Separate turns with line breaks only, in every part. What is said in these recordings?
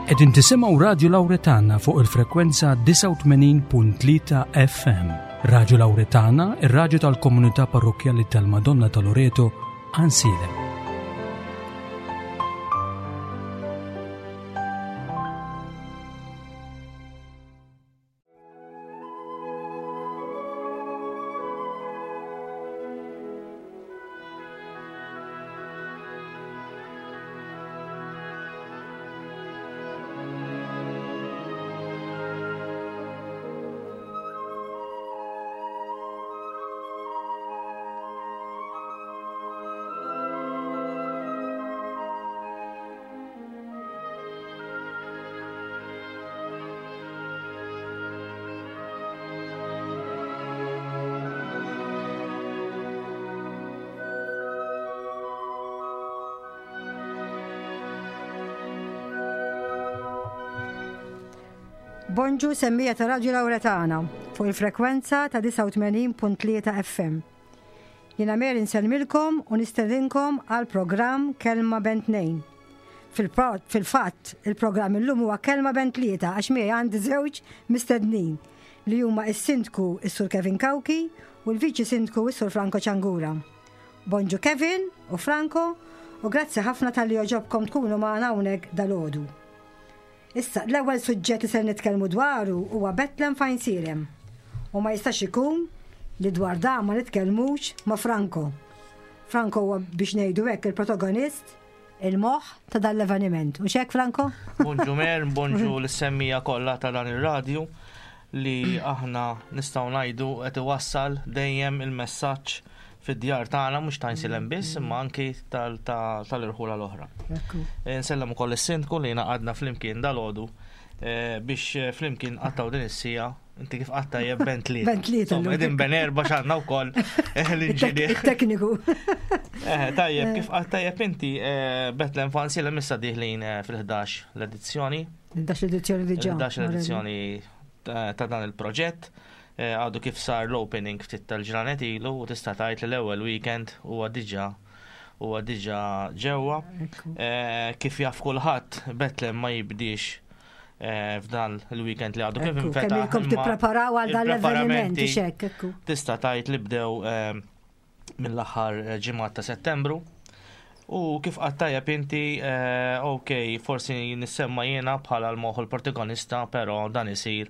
Qegħdin tisimgħu Radju Lawretana fuq il-frekwenza 89.3 FM. Radju Lawretana, ir-radju tal-komunità parrokkjali tal-Madonna ta' Loreto, Ansilem.
Bonġu semmija ta' Radju Lawretana fuq il-frekwenza ta' 89.3 FM. Jiena Mary nsellmilkom u nistedinkom għal programm Kelma Ben Tnejn. Fil-fatt, il-programm illum huwa Kelma Ben Tlieta għax miegħi għandi żewġ mistednin li huma s-Sindku s-Sur Kevin Cauchi u l-Viċi Sindku s-Sur Franco Ciangura. Bonġu Kevin u Franco u grazzi ħafna talli għoġobkom tkunu magħna hawnhekk dalgħodu. Issa, l-ewwel suġġett li ser nitkellmu dwaru huwa Bethlehem f'Għajnsielem. U ma jistax ikun li dwar dan ma nitkellmux ma' Franco. Franco huwa biex ngħidu hekk il-protagonist, il-moħħ ta' dan l-eveniment. U xek Franco?
Bonġu Mer, bonġu l-semmija kollha ta' dan ir-radju li aħna nistgħu ngħidu qed iwassal dejjem il-messaġġ fid-djar tagħna mhux ta' Għajnsielem biss imma anki tal-irħula l-oħra. Eh, nsellem ukoll is-sindku li ngħaqadna flimkien dalgħodu eh, biex eh, flimkien qattaw din is-sija Inti kif qatta jeb ben tlieta.
Ben tlieta.
Qegħdin ben erba' x'għandna wkoll l-inġinier.
Tekniku.
Tajjeb, kif qatta jeb inti Bethlehem Fancy issa diħlin fil-11 l-edizzjoni.
L-11 edizzjoni diġà.
L-11 edizzjoni ta' dan il-proġett. Eh, għadu kif sar l-opening ftit tal-ġranet ilu u tista' tgħid li l-ewwel weekend huwa diġà huwa diġà ġewwa. Eh, kif jaf kulħadd Bethlehem ma jibdiex eh, f'dan il-weekend li għadu kif
infetaħ. Kemm ilkom tippreparaw għal dan l-avveniment xek,
Tista' tgħid li bdew mill-aħħar eh, ġimgħat ta' Settembru. U kif qatt tajjeb inti, eh, ok, forsi nissemma jiena bħala l-moħħ l-protagonista, però dan isir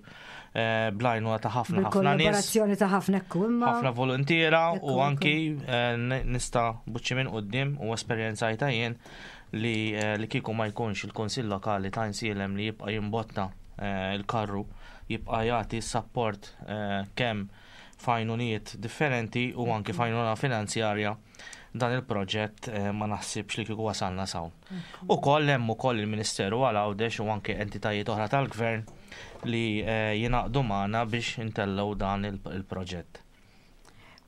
eh, blajnuna ta' ħafna ħafna nies.
Kollaborazzjoni ta' ħafna ekku imma.
Ħafna volontiera u anki nista' buċċi minn quddiem u esperjenzajta jien li li kieku ma jkunx il-Kunsill Lokali ta' Insielem li jibqa' jimbotta il-karru, jibqa' jagħti s-sapport kemm f'għajnuniet differenti u anki f'għajnuna finanzjarja dan il-proġett eh, ma naħsibx li kieku wasalna sawn. Ukoll hemm ukoll il-Ministeru għal Għawdex u anke entitajiet oħra tal-Gvern li eh, jingħaqdu magħna biex intellgħu dan il-proġett.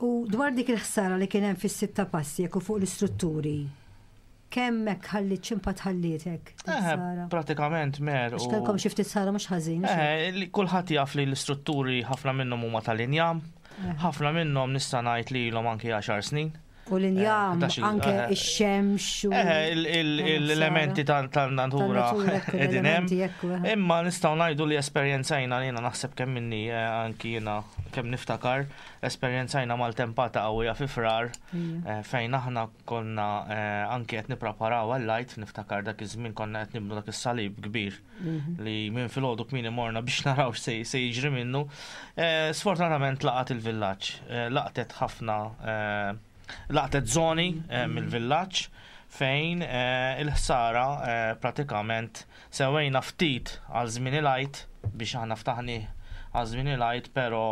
U dwar dik il-ħsara li kien hemm fis-sitta passi jekk fuq l-istrutturi, Kemm hekk ħalliet x'impatt ħallietek?
Eh, pratikament mer.
Għax kellkom xi ftit sara mhux ħażin.
Eh, kulħadd jaf li l-istrutturi ħafna minnhom huma tal-injam, eh. ħafna minnhom nista' ngħid li ilhom anki 10 snin.
U l-injam, anke ix-xemx.
L-elementi tal-natura qegħdin hemm. Imma nistgħu ngħidu li esperjenzajna jiena naħseb kemm minni anki jiena kemm niftakar, esperjenzajna maltempata qawwija fi frar fejn aħna Konna anki qed nippreparaw għall-Għid, niftakar dak iż-żmien konna qed nibnu dak is-salib kbir mhm. li minn filgħodu kmieni morna biex naraw se jiġri minnu. Eh, sfortunatament laqat il-villaġġ, eh, laqtet ħafna eh, laqtet żoni mhm. mill-villaġġ fejn il-ħsara pratikament Sewwejna ftit għal żmien il-Għid biex aħna ftaħnih għal żmien il-Għid pero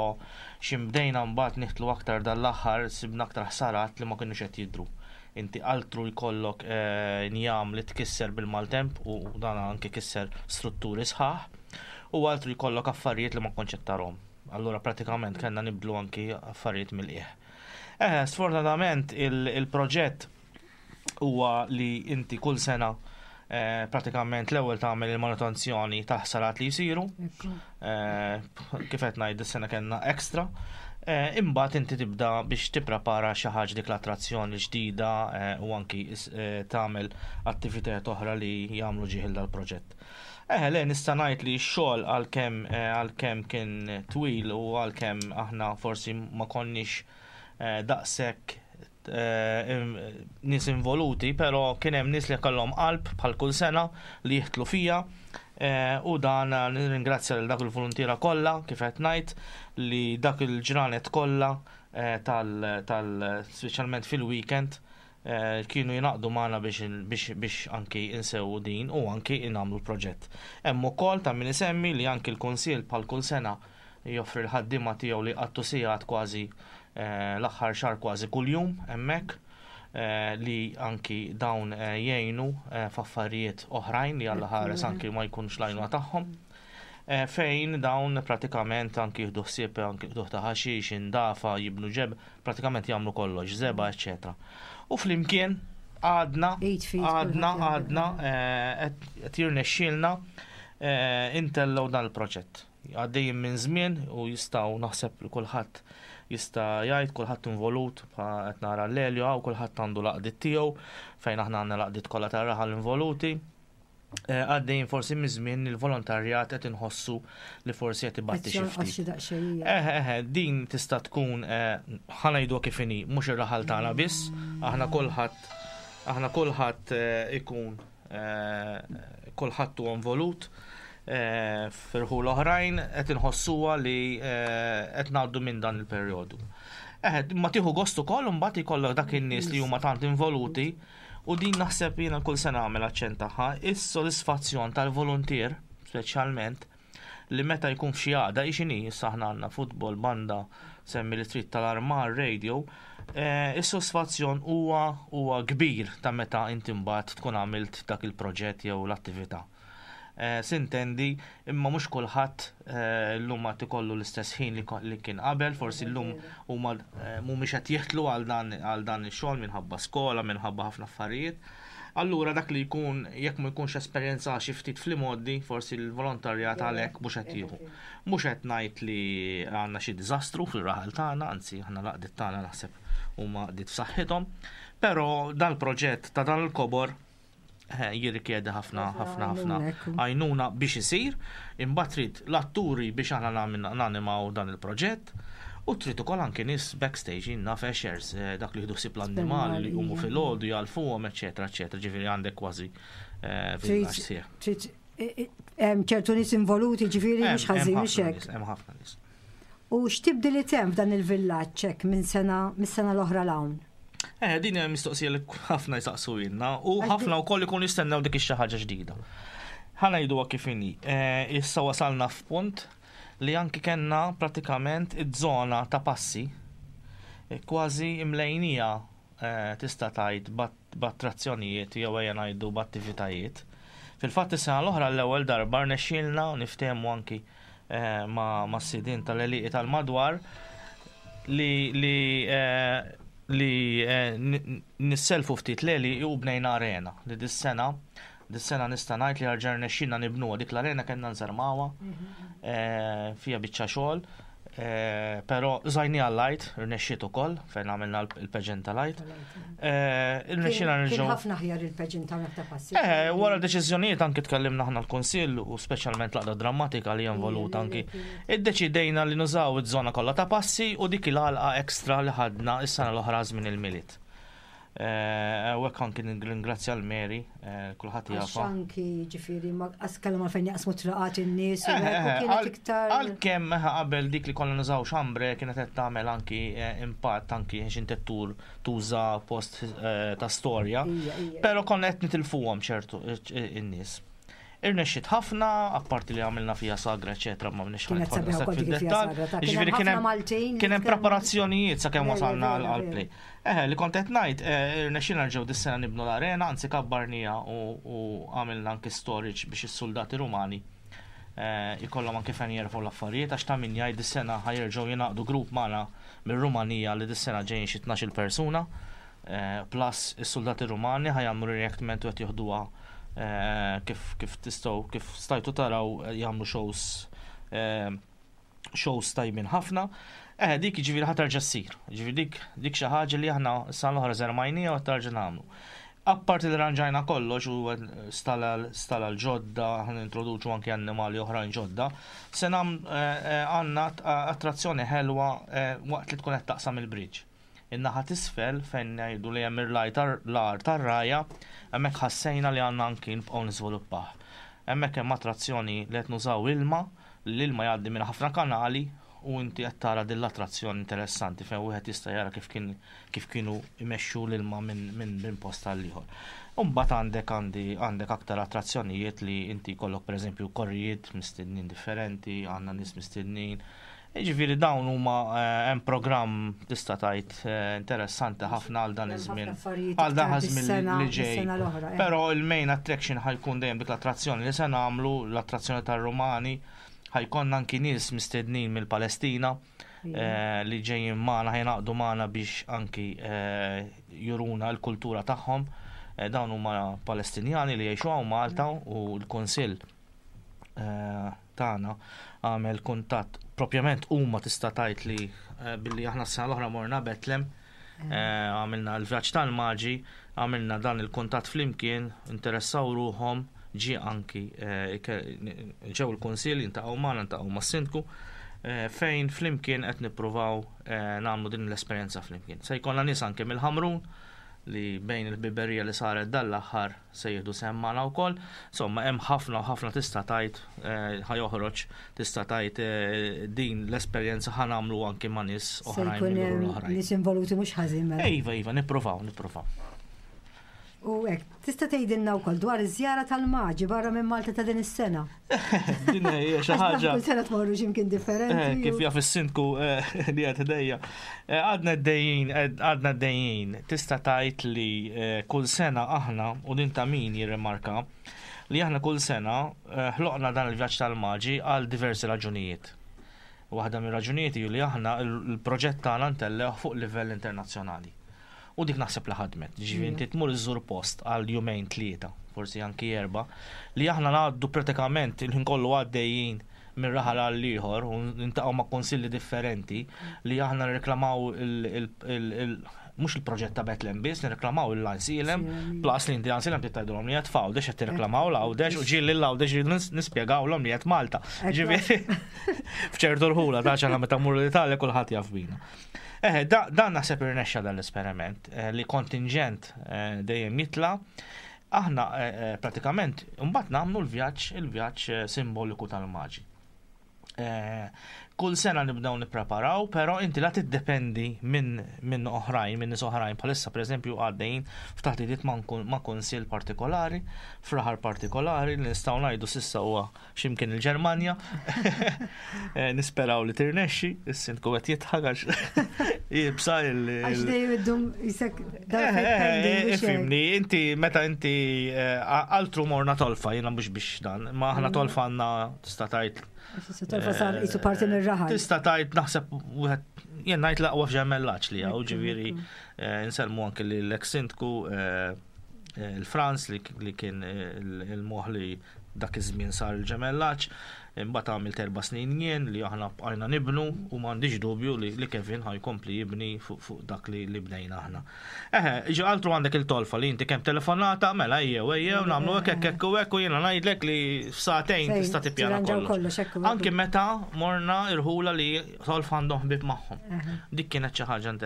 x'in bdejna mbagħad niħtlu aktar dan l-aħħar sibna aktar ħsarat li ma kinux qed jidhru. Inti altru jkollok njam li tkisser bil-maltemp u dan anke kisser strutturi sħaħ u altru jkollok affarijiet li ma kontx qed tarhom. Allura pratikament kellna nibdlu anki affarijiet mill-qiegħ. Eh, sfortunatament il-proġett huwa li inti kull sena eh, pratikament l-ewwel tagħmel il-manutenzjoni ta' ħsarat li jsiru. Eh, kif qed ngħid is-sena kellna extra. Imbagħad inti tibda biex tipprepara xi ħaġa dik l-attrazzjoni ġdida u anki tagħmel attivitajiet oħra li jagħmlu ġieħ dal-proġett. Eħe, le nista' ngħid li x-xogħol għalkemm għalkemm kien twil u għalkemm aħna forsi ma konniex daqshekk nies involuti, però kien hemm nies li kellhom qalb bħal kull sena li jihtlu fija u dan nirringrazzja lil dak il-voluntiera kollha kif qed ngħid li dak il-ġranet kollha tal speċjalment fil-weekend kienu jingħaqdu magħna biex biex anki insewwu din u anki nagħmlu l-proġett. Hemm ukoll ta' min isemmi li anki l-Kunsill bħal kull sena joffri l-ħaddiema tiegħu li jqattu sigħat kważi l-aħħar xahar kważi kuljum hemmhekk li anki dawn jgħinu f'affarijiet oħrajn li Alla ħares anki ma jkunx l-għajnuna tagħhom. Fejn dawn pratikament anki jieħdu ħsieb anki qtugħ ta' ħaxix, indafa, jibnu ġeb, pratikament jagħmlu kollox, żebgħa, eċċetera. U flimkien għadna, għadna, għadna qed jirnexxielna intellgħu dan il-proġett. Għaddejjin minn żmien u jistgħu naħseb li kulħadd jista' jgħid, kulħadd involut, qed nara l-Elio hawn, kulħadd għandu l-għaqdiet tiegħu, fejn aħna għandna l-għaqdiet kollha tar-raħal involuti. Eh, għaddejjin forsi minn żmien il-volontarjat qed inħossu li forsi qed ibatti xi ftit. Eh, eh, din tista' tkun ħa ngħidu kif inhi, mhux ir-raħal tagħna biss, aħna kulħadd aħna kulħadd ikun Kulħadd huwa involut f'irħul oħrajn qed inħossuha li qed ngħaddu minn dan il-perjodu. Eħe, ma tieħu gost ukoll imbagħad ikollok dak in-nies li huma tant involuti u din naħseb jiena kull sena nagħmel aċċenn tagħha, is-sodisfazzjon tal-voluntier speċjalment li meta jkun f'xi għaqda hi x'inhi, issa aħna għandna futbol, banda, semmi li trid tal-armar, radio, eh, is-sodisfazzjon huwa huwa kbir ta' meta inti mbagħad tkun għamilt dak il-proġett jew l-attività. Eh, sintendi, imma mhux kulħadd eh, llum għad ikollu l-istess ħin li kien qabel, forsi llum huma mhumiex qed jiħtlu għal dan għal dan ix-xogħol minħabba skola, minħabba ħafna affarijiet. Allura dak li jkun jekk ma jkunx esperjenza xi ftit fl-imgħoddi, forsi l-volontarjat għalhekk mhux qed jieħu. Mhux qed ngħid li għandna xi diżastru fir-raħal tagħna, anzi aħna l-għaqdiet tagħna naħseb huma għaqdiet f'saħħithom, però dal-proġett ta' dan il-kobor eh, jirrikjedi ħafna ħafna ħafna għajnuna biex isir, imbagħad trid l-atturi biex aħna nanimaw dan il-proġett. U trid ukoll anki nies backstage, jien naf ushers, eh, dak li jieħdu ħsieb l-annimali li jqumu filgħodu jgħalfuhom, eċetera, eċetera. Ġifieri għandek kważi eh, villaġġ sieħ.
Trid eh, hemm ċertu nies involuti, ġifieri mhux ħażin mhux hekk.
Hemm ħafna nies.
U x'tibdiliet hemm f'dan il-villaġġ hekk minn sena mis-sena l-oħra 'l hawn?
Eh, din hija mistoqsija li ħafna jsaqsu ilna u ħafna wkoll ikun jistennew dik ix-xi ħaġa ġdida. Ħa ngħiduha kif inhi. Issa wasalna f'punt li anki kellna pratikament iż-żona ta' passi kważi imlejnija tista' tgħid b'attrazzjonijiet jew ejja ngħidu b'attivitajiet. Fil-fatt is-sena l-oħra l-ewwel darba rnexxielna niftehmu anki mas-sidien tal-għelieqi tal-madwar li li li nisselfu ftit l-għelieqi u bnejna arena li dis-sena Dis-sena nista' ngħid li erġa' rnexxielna nibnuha dik l-arena kellna nżarmawha eh, fiha biċċa xogħol, eh, però żajniha l-għid, rnexxiet ukoll fejn għamilna l-pageant tal-għid. Eh,
rnexxielna nerġgħu. Ħafna aħjar il-pageant ta' passi.
Eh, wara deċiżjonijiet anki tkellimna aħna l-Kunsill u speċjalment l-għaqda drammatika li involuta anki. Iddeċidejna li nużaw iż-żona kollha ta' passi u dik il-għalqa ekstra li ħadna is-sena l-oħra żmien il-Milied. Eh, u hekk anki nirringrazzja l-Mary, eh, kulħadd
jafa. Anki ġifieri ma qas kellhom għalfejn jaqsmu traqat in-nies u eh, kienet iktar.
Għalkemm qabel dik li konna nużaw xambre kienet qed tagħmel anki impatt anki għax inti tur tuża post ta' storja. Però konna qed nitilfuhom ċertu in-nies. Irnexxiet ħafna, apparti li għamilna fija sagra, eċetera, ma mniex
Kienet sabiħa wkoll dik il-fija sagra, ta'
kien hemm ħafna Maltin. Kien hemm preparazzjonijiet sakemm wasalna għall-play. Eħe, li kont qed ngħid, eh, irnexxielna nerġgħu dis-sena nibnu l-arena, anzi kabbarniha u għamilna anki storage biex is-suldati Rumani eh, ikollhom anki fejn jerfgħu l-affarijiet għax ta' min jgħid dis-sena ħajerġgħu jingħaqdu grupp magħna mir-Rumanija li dis-sena ġejjin xi 12-il persuna eh, plus is-suldati Rumani ħajamlu reenactment u qed joħduha kif kif tistgħu kif stajtu taraw jagħmlu shows shows tajbin ħafna. Eh, dik ġifieri ħa terġa' ssir. Ġifieri dik dik xi ħaġa li aħna s-sena l-oħra żermajnija u terġa' nagħmlu. Apparti li ranġajna kollox u stala l-ġodda, ħa nintroduċu anki annimali oħrajn ġodda, se għandna attrazzjoni ħelwa waqt li tkun qed taqsam il-bridge. In-naħa t'isfel fejn ngħidu li hemm l-għar tar-rgħajja, hemmhekk ħassejna li għandna anki nibqgħu niżviluppah. Hemmhekk hemm attrazzjoni li qed nużaw ilma, li l-ilma jgħaddi minn ħafna kanali u inti qed tara din l-attrazzjoni interessanti fejn wieħed jista' jara kif kien kif kienu jmexxu l-ilma minn min, min post għal ieħor. U mbagħad għandek għandi għandek aktar attrazzjonijiet li inti jkollok pereżempju korrijiet mistednin differenti, għandna nies mistednin. Jiġifieri dawn huma eh, hemm programm tista' tgħid eh, interessanti ħafna għal dan iż-żmien. Għal dan iż-żmien li ġej. Eh. Però il-main attraction ħa jkun dejjem dik l-attrazzjoni li se nagħmlu, l-attrazzjoni tar-Rumani, ħa jkollna anki nies mistednin mill-Palestina li ġejjin magħna ħa jingħaqdu magħna biex anki juruna l-kultura tagħhom. Dawn huma Palestinjani li jgħixu hawn Malta u l-Kunsill tagħna għamel kuntatt propjament huma tista' tgħid li billi aħna s-sena l-oħra morna Betlem għamilna l-vjaġġ tal-maġi, għamilna dan il-kuntatt flimkien, interessaw ruħhom, ġie anki ġew il-kunsill jintaqgħu magħna, ntaqgħu mas-sindku, fejn flimkien qed nippruvaw nagħmlu din l-esperjenza flimkien. Se jkollna nies anke mill-Ħamrun li bejn il-ħbiberija li saret dan l-aħħar se jieħdu sehem magħna wkoll. Insomma, hemm ħafna u ħafna tista' tgħid eh, ħa joħroġ tista' tgħid eh, din l-esperjenza ħa nagħmlu anki ma' nies oħrajn
mill oħrajn. Nies involuti mhux ħażin
mela. Iva, iva, nippruvaw, nippruvaw.
U hekk, tista' tgħidilna wkoll dwar iż-żjara tal-Maġi barra minn Malta ta' din is-sena.
Din hija xi ħaġa.
Kull sena tmorru x'imkien differenti.
Eh, kif jaf is-sindku eh, li qed ħdejja. Eh, għadna d-dejjin, għadna d-dejjin. Tista' tgħid li kull sena aħna u din ta' min jirrimarka li aħna kull sena ħloqna dan il-vjaġġ tal-Maġi għal diversi raġunijiet. Waħda mir-raġunijiet hi li aħna l-proġett tagħna ntellgħuh fuq livell internazzjonali. U dik naħseb li ħadmet. Ġifieri inti tmur iżżur post għal jumejn tlieta, forsi anki erba, li aħna ngħaddu pratikament il-ħin kollu għaddejjin minn raħal għal ieħor u nintaqgħu ma' konsilli differenti li aħna nirreklamaw mhux il-proġett ta' Bethlehem biss, nirreklamaw il-Għajnsielem, plus li inti Għajnsielem trid tgħidulhom li qed f'Għawdex qed tirreklamaw l-Għawdex u ġieli l-Għawdex rridu nispjegawlhom li qed Malta. Ġifieri f'ċertu rħula ta' ċana meta mmur l-Italja kulħadd jaf bina. Eħe, dan naħseb irnexxa dan l-esperiment eh, li kontingent eh, dejjem jitla. Aħna eh, pratikament mbagħad nagħmlu l-vjaġġ, il-vjaġġ simboliku tal-maġi. Kull sena nibdew nippreparaw, però inti la tiddependi minn min oħrajn, minn nies oħrajn bħalissa pereżempju għaddejjin f'taħdidiet ma' kunsill partikolari, f'raħal partikolari li nistgħu ngħidu s'issa huwa x'imkien il-Ġermanja. Eh, nisperaw li tirnexxi, is-sindku qed jidħak għax jibsa il.
Għax dejjem iddum jisek
eh, eh, Ifimni, inti meta inti altru morna tolfa, jiena mhux biex dan, ma aħna mm. tolfa għandna tista' tgħid.
Tolfa sar jisu parti mir-raħal.
Tista' tgħid naħseb wieħed jien ngħid l-aqwa f'ġemellaġġ li hawn, ġifieri nselmu anke lill-eks sindku il-Franz li kien il-moħ li Dak iż-żmien sar il-ġemellaġġ, imbagħad għamilt erba' snin jien li aħna bqajna nibnu u m'għandix dubju li Kevin ħa jkompli jibni fuq dak li bnejna aħna. Eħe, ġi altru għandek il-tolfa li inti kemm telefonata, mela ejjew ejjew nagħmlu hekk hekk hekk u hekk u jiena ngħidlek li f'sagħtejn tista' tippjana kollox. Anki meta morna irħula li tolfa għandhom ħbieb magħhom. Dik kienet xi ħaġa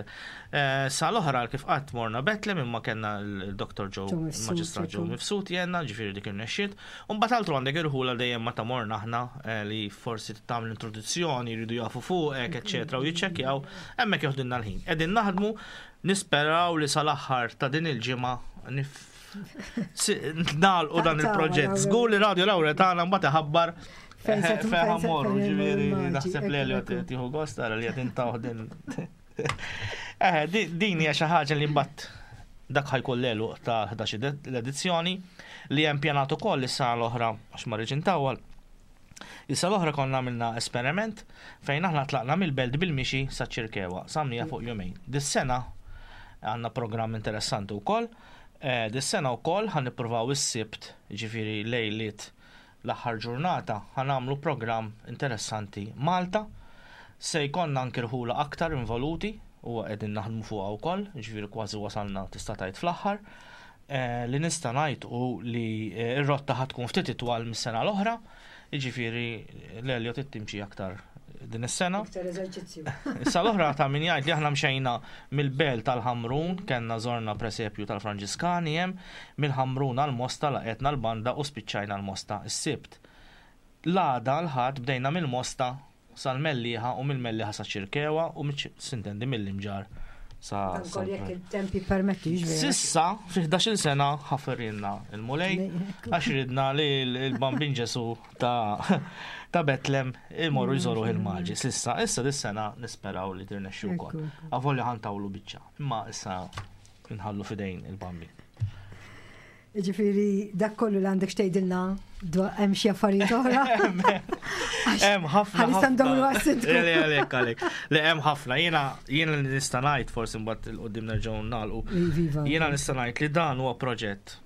Eh, sa l-oħra kif qatt morna Betlem imma kellna l-Dr. Joe Maġistrat Joe Mifsud jenna, ġifieri dik irnexxiet. U mbagħad altru għandek irħula dejjem meta morna aħna eh, li forsi tagħmel introduzzjoni, jridu jafu fuqek, eċċetera, u jiċċekkjaw, hemmhekk joħdilna l-ħin. Qegħdin naħdmu nisperaw li sal-aħħar ta' din il-ġimgħa nagħlqu dan il-proġett. Żgur li Radio Laura tagħna mbagħad iħabbar fejn morru, ġifieri naħseb li Elliot tieħu gost tara li qed intawh din Eh, din hija xi ħaġa li mbagħad dak ħajkun l-għeluq ta' 11 l-edizzjoni li hemm pjanat ukoll is-sena l-oħra għax ma rridx intawwal. Is-sena l-oħra konna għamilna esperiment fejn aħna tlaqna mill-belt bil-mixi sa ċirkewa, samnija fuq jumejn. Dis-sena għandna programm interessanti wkoll. Eh, dis-sena wkoll ħan nippruvaw is-sibt, ġifieri lejliet l-aħħar ġurnata, ħa nagħmlu programm interessanti Malta. Se jkollna anki rħula aktar involuti u qegħdin naħdmu fuqha wkoll, jiġifieri kważi wasalna tista' tgħid fl-aħħar. Eh, li nista' ngħid hu li eh, r-rotta ħa tkun ftit itwal mis-sena l-oħra, jiġifieri l-Elio trid timxi aktar din is-sena.
Iktar eżerċizzju.
Issa l-oħra ta' min jgħid li aħna mxejna mill-belt tal-Ħamrun, kellna żorna presepju tal-Franġiskani hemm, mill-Ħamrun għall-Mosta laqgħetna l-banda u spiċċajna l-Mosta s-Sibt. L-għada l-Ħadd bdejna mill-Mosta sal-Mellieħa u mill-Mellieħa saċ-Ċirkewwa u sintendi mill-Imġarr sa.
Dan kollu jekk il-temp jippermetti, jiġifieri.
S'issa, fi 11-il sena ħafirilna l-Mulej għax ridna li l-Bambin Ġesu ta' ta' Betlem imorru jżoruh il-Maġi. S'issa, issa dis-sena nisperaw li tirnexxi wkoll. Avolja ħa ntawlu biċċa, imma issa nħallu f'idejn il-Bambin.
Ġifieri dak kollu li għandek x'tgħidilna dwar hemm xi affarijiet oħra.
Hemm ħafna.
Ħalissa ndawru għas-sindku.
Le għalek għalek. Le hemm ħafna. Jiena jiena li nista' ngħid forsi mbagħad il qudiem nerġgħu nagħlqu. Jiena nista' ngħid li dan huwa proġett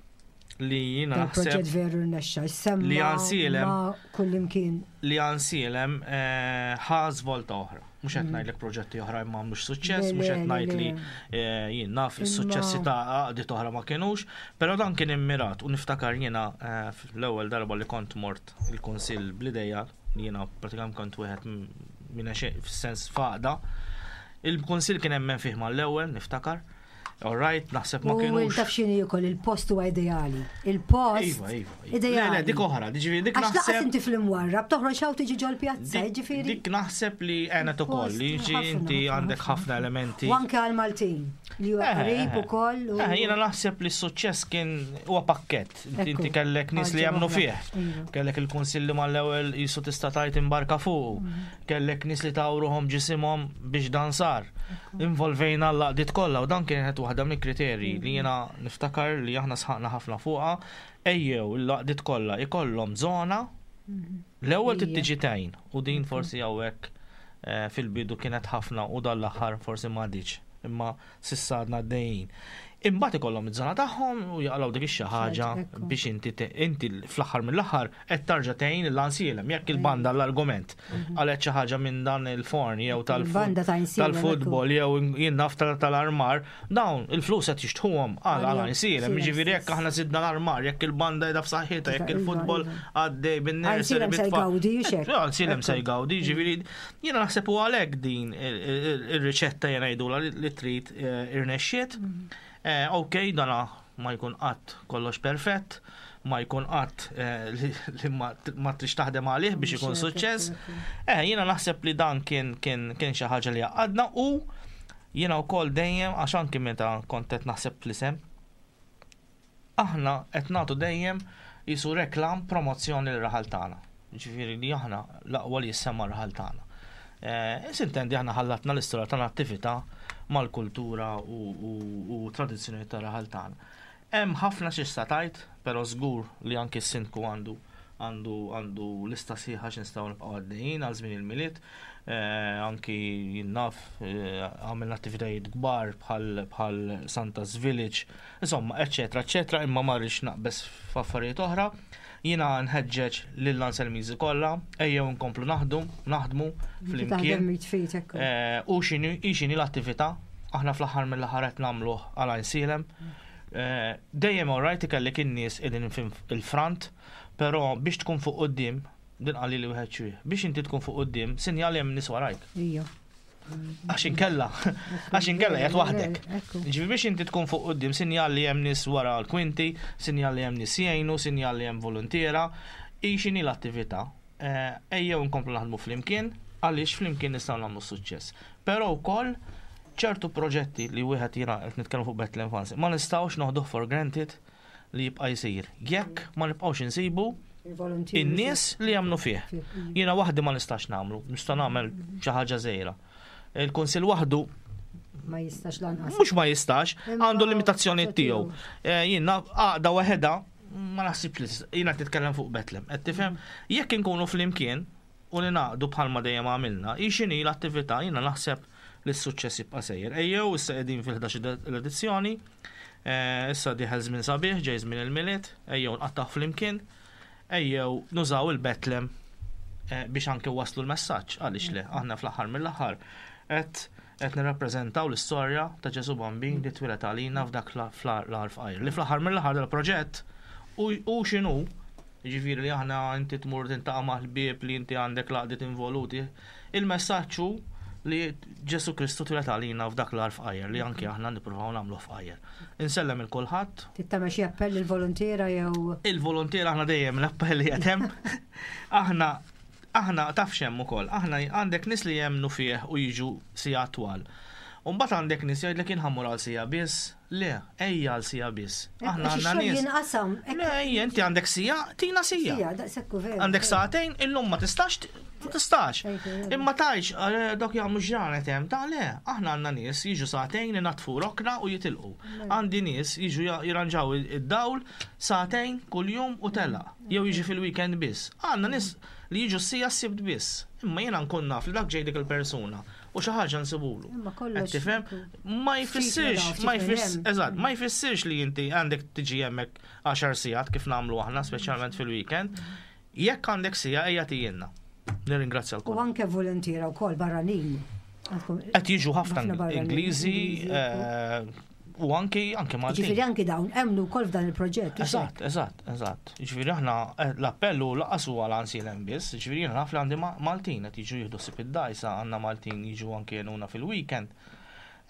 li jiena naħseb.
Proġett veru rnexxa, semma.
Li għansielem.
Kullimkien.
Li għansielem eh, ħa żvolta oħra. Mhux qed mm. ngħidlek proġetti oħra imma mhux suċċess, mhux qed ngħid li eh, jien naf is-suċċessi ta' għaqdiet oħra ma kinux, però dan kien immirat u niftakar jiena eh, l-ewwel darba li kont mort il-kunsill bl-idea li jiena pratikament kont wieħed minn fis-sens faqda. Il-kunsill kien hemmen fih mal-ewwel, niftakar. All right, naħseb ma kienux.
U taf x'inhi wkoll il-post huwa ideali. Il-post.
Iva, iva. iva.
Ideali.
Le, dik oħra, ġifieri dik
naħseb. Għax inti fl-imwarrab toħroġ hawn tiġi ġol pjazza, ġifieri.
Dik naħseb li għenet ukoll li ġi inti għandek ħafna elementi.
U anke għal Maltin li huwa eh, qrib eh, ukoll.
Eh, jiena naħseb li s-suċċess kien huwa pakkett. Inti kellek nies li jemmnu fih. Iva. Kellek il-kunsilli mal-ewwel jisu tista' tajt imbarka fuq. Mhm. Kellek nies li tawruhom ġisimhom biex dan sar. Involvejna l-għaqdiet kollha u dan kienet waħda mill-kriterji li jiena niftakar li aħna sħaqna ħafna fuqha, ejjew l-għaqdiet kollha ikollhom żona l-ewwel trid tiġi tgħin u din forsi hawnhekk eh, fil-bidu kienet ħafna u dan l-aħħar forsi m'għaditx imma s'issa għadna għaddejjin. Imbagħad ikollhom iż-żona tagħhom u jaqalgħu dik ix-xi ħaġa biex inti inti fl-aħħar mill-aħħar qed tarġa' tgħin l-ansielem jekk il-banda l-argument mhm. qalet xi ħaġa minn dan il-forn jew tal-futbol jew jien naf tal-armar, dawn il-flus qed jixtħuhom għal għal ansielem. Jiġifieri jekk aħna żidna l-armar, jekk il-banda qiegħda f'saħħitha, jekk il-futbol iva. għaddej bin-nursery.
Se jgawdi,
Ansielem se jgawdi, jiġifieri Jiena naħseb u għalhekk din ir-riċetta jiena jgħidulha li trid eh, irnexxiet. Mm. Eh, ok, dana ma jkun qatt kollox perfett, ma jkun qatt eh, li ma trix taħdem għalih biex ikun suċċess. Eh, jiena naħseb li dan kien kien kien xi ħaġa li għadna u jiena wkoll dejjem għax anki meta kont qed naħseb fl-isem Aħna qed nagħtu dejjem qisu reklam, promozzjoni lir-raħal tagħna. Jiġifieri li aħna l-aqwa li jissemma r-raħal tagħna. Eh, Sintendi aħna ħallatna l-istorja ta' nattività mal-kultura u tradizzjoni ta' raħal tagħna. Hemm ħafna xi tgħid, però żgur li anki s-sindku għandu għandu għandu lista sħiħa x'nistgħu nibqgħu għaddejjin għal żmien il-Milied. Eh, anki jien naf eh, għamilna attivitajiet kbar bħal bħal Santa's Village Insomma, eċċetera, eċċetera, imma ma rridx naqbeż f'affarijiet oħra. Jiena nħeġġeġ lil Anselmiżi kollha, ejjew nkomplu naħdu, naħdmu flimkien. Eh, u x'inhi x'inhi l-attività, aħna fl-aħħar mill-aħħar qed nagħmluh għal Għajnsielem. Eh, dejjem alright ikellek in-nies qegħdin il-front, però biex tkun fuq quddiem, din qalli li wieħed xwieħ, biex inti tkun fuq quddiem, sinjal hemm nies warajk.
Ija.
Għax inkella, għax inkella jgħat waħdek. Ġifi biex inti tkun fuq qudiem sinjal li hemm nies wara l-kwinti, sinjal li hemm nies jgħinu, sinjal li hemm voluntiera, hi x'inhi l-attività. Eh, ejjew nkomplu naħdmu flimkien għaliex flimkien nistgħu nagħmlu suċċess. Però wkoll ċertu proġetti li wieħed jiena qed nitkellmu fuq Bethlehem Fans, ma nistgħux noħduh for granted li jibqa' jsir. Jekk ma nibqgħux insibu in-nies li jagħmlu fih. Jiena waħdi ma nistax nagħmlu, nista' nagħmel xi ħaġa żgħira. Il-Kunsill waħdu
ma jistax lanqas.
Mhux ma jistax, għandu limitazzjoni tiegħu. Eh, jiena għaqda waħedha ma naħsibx li jiena titkellem fuq Betlem. Qed tifhem? Jekk inkunu flimkien u ningħaqdu bħalma dejjem għamilna, hi x'inhi l-attività jiena naħseb li s-suċċess jibqa' sejjer. Ejjew issa qegħdin fil-11 l-edizzjoni, eh, issa dieħel żmien sabiħ, ġej żmien il-Milied, ejjew nqattgħu flimkien, ejjew nużaw il-Betlem. biex anke waslu l-messaġġ għaliex le aħna fl-aħħar mill-aħħar qed qed nirrappreżentaw l-istorja ta' Ġesu Bambin li twieled għalina f'dak l-għar fqajr. Li fl-aħħar mill-aħħar dal-proġett u x'inhu ġifieri li aħna inti tmur tintaqa' mal-ħbieb li inti għandek l-għaqdiet involuti, il-messaġġ hu li Ġesu Kristu twieled għalina f'dak l-għar fqajjar li anke aħna nippruvaw nagħmlu fqajjar. Insellem il kulħadd.
Tagħmel xi appell il-volontiera jew.
Il-volontiera aħna dejjem l-appell li qed hemm. Aħna aħna taf x'hemm ukoll, aħna għandek nies li jemmnu fih u jiġu siegħa twal. U mbagħad għandek nies jgħidlek jien ħa mmur għal siegħa biss. Le, ejja għal siegħa biss. Aħna
Għax
għandna
ix-xogħol
nies.
jinqasam.
Le, ejja, inti għandek siegħa, tina siegħa.
Siegħa, daqshekk hu veru.
Għandek sagħtejn, illum ma tistax, ma tistax.
Ejja, ejja.
Imma tajx, dok jagħmlu ġranet hemm, ta' le, aħna għandna nies jiġu sagħtejn inatfu rokna u jitilqu. Għandi nies jiġu jirranġaw id-dawl sagħtejn kuljum u telaq, jew jiġi fil-weekend biss. Għandna nies li jiġu siegħa s-Sibt biss. Imma jiena nkun naf li dak ġej dik il-persuna u xi ħaġa nsibulu.
Imma kollox
Qed tifhem? Ma jfissirx,
ftit
ma
minn
jfissirx,
hemm.
eżatt, ma jfissirx li inti għandek tiġi hemmhekk 10 sigħat kif nagħmlu aħna, speċjalment fil-weekend. Jekk għandek siegħa ejja tgħinna. Nirringrazzja
U
l
anke volontiera wkoll barranin. Għandkom-
Qed jiġu ħafna
ħafna barranin,
Ingliżi
Ingliżi,
u anki anki Maltin.
Ġifieri anki dawn emmnu wkoll f'dan il-proġett. u
Eżatt, eżatt, eżatt. Ġifieri aħna l-appell hu lanqas huwa għal Għajnsielem biss, ġifieri jiena naf li għandi Maltin qed jiġu jieħdu ħsieb id-dgħajsa, għandna Maltin jiġu anki jgħinuna fil-weekend.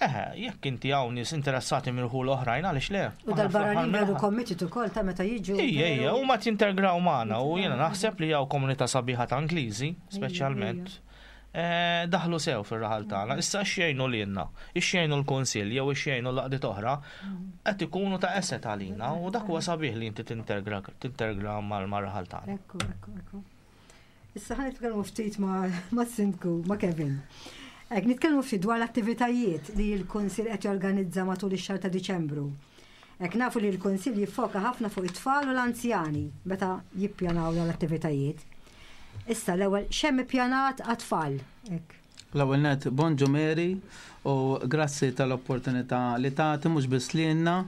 Eħe, jekk inti hawn nies interessati mirħu l-oħrajn għaliex le?
U
Aħna
dal-barranin
fl-aħħar
veru
mill-aħħar.
committed ukoll ta' meta jiġu.
Ija, ija,
veru-
u ma tintegraw magħna u jiena naħseb li hawn komunità sabiħa ta' Ingliżi, speċjalment. Daħlu sew fir-raħal tagħna. Issa xejnu lilna, ixxejnu l-Kunsill jew ixxejnu l-għaqdiet oħra, qed ikunu ta' asset għalina u dak huwa sabiħ li inti tintegra tintegra mal-raħal tagħna.
Ekku, ekku, ekku. Issa ħa nitkellmu ftit ma' Sindku, ma' Kevin. Ek, nitkellmu ftit dwar l-attivitajiet li l-Kunsill qed jorganizza matul ix-xahar ta' Diċembru. Ek nafu li l-Kunsill jiffoka ħafna fuq it-tfal u l-anzjani meta jippjanaw dawn l-attivitajiet. Issa l-ewwel x'hemm ippjanat għat-tfal? Ek.
L-ewwel net, bonġu Mary u grazzi tal-opportunità li tagħti mhux biss lilna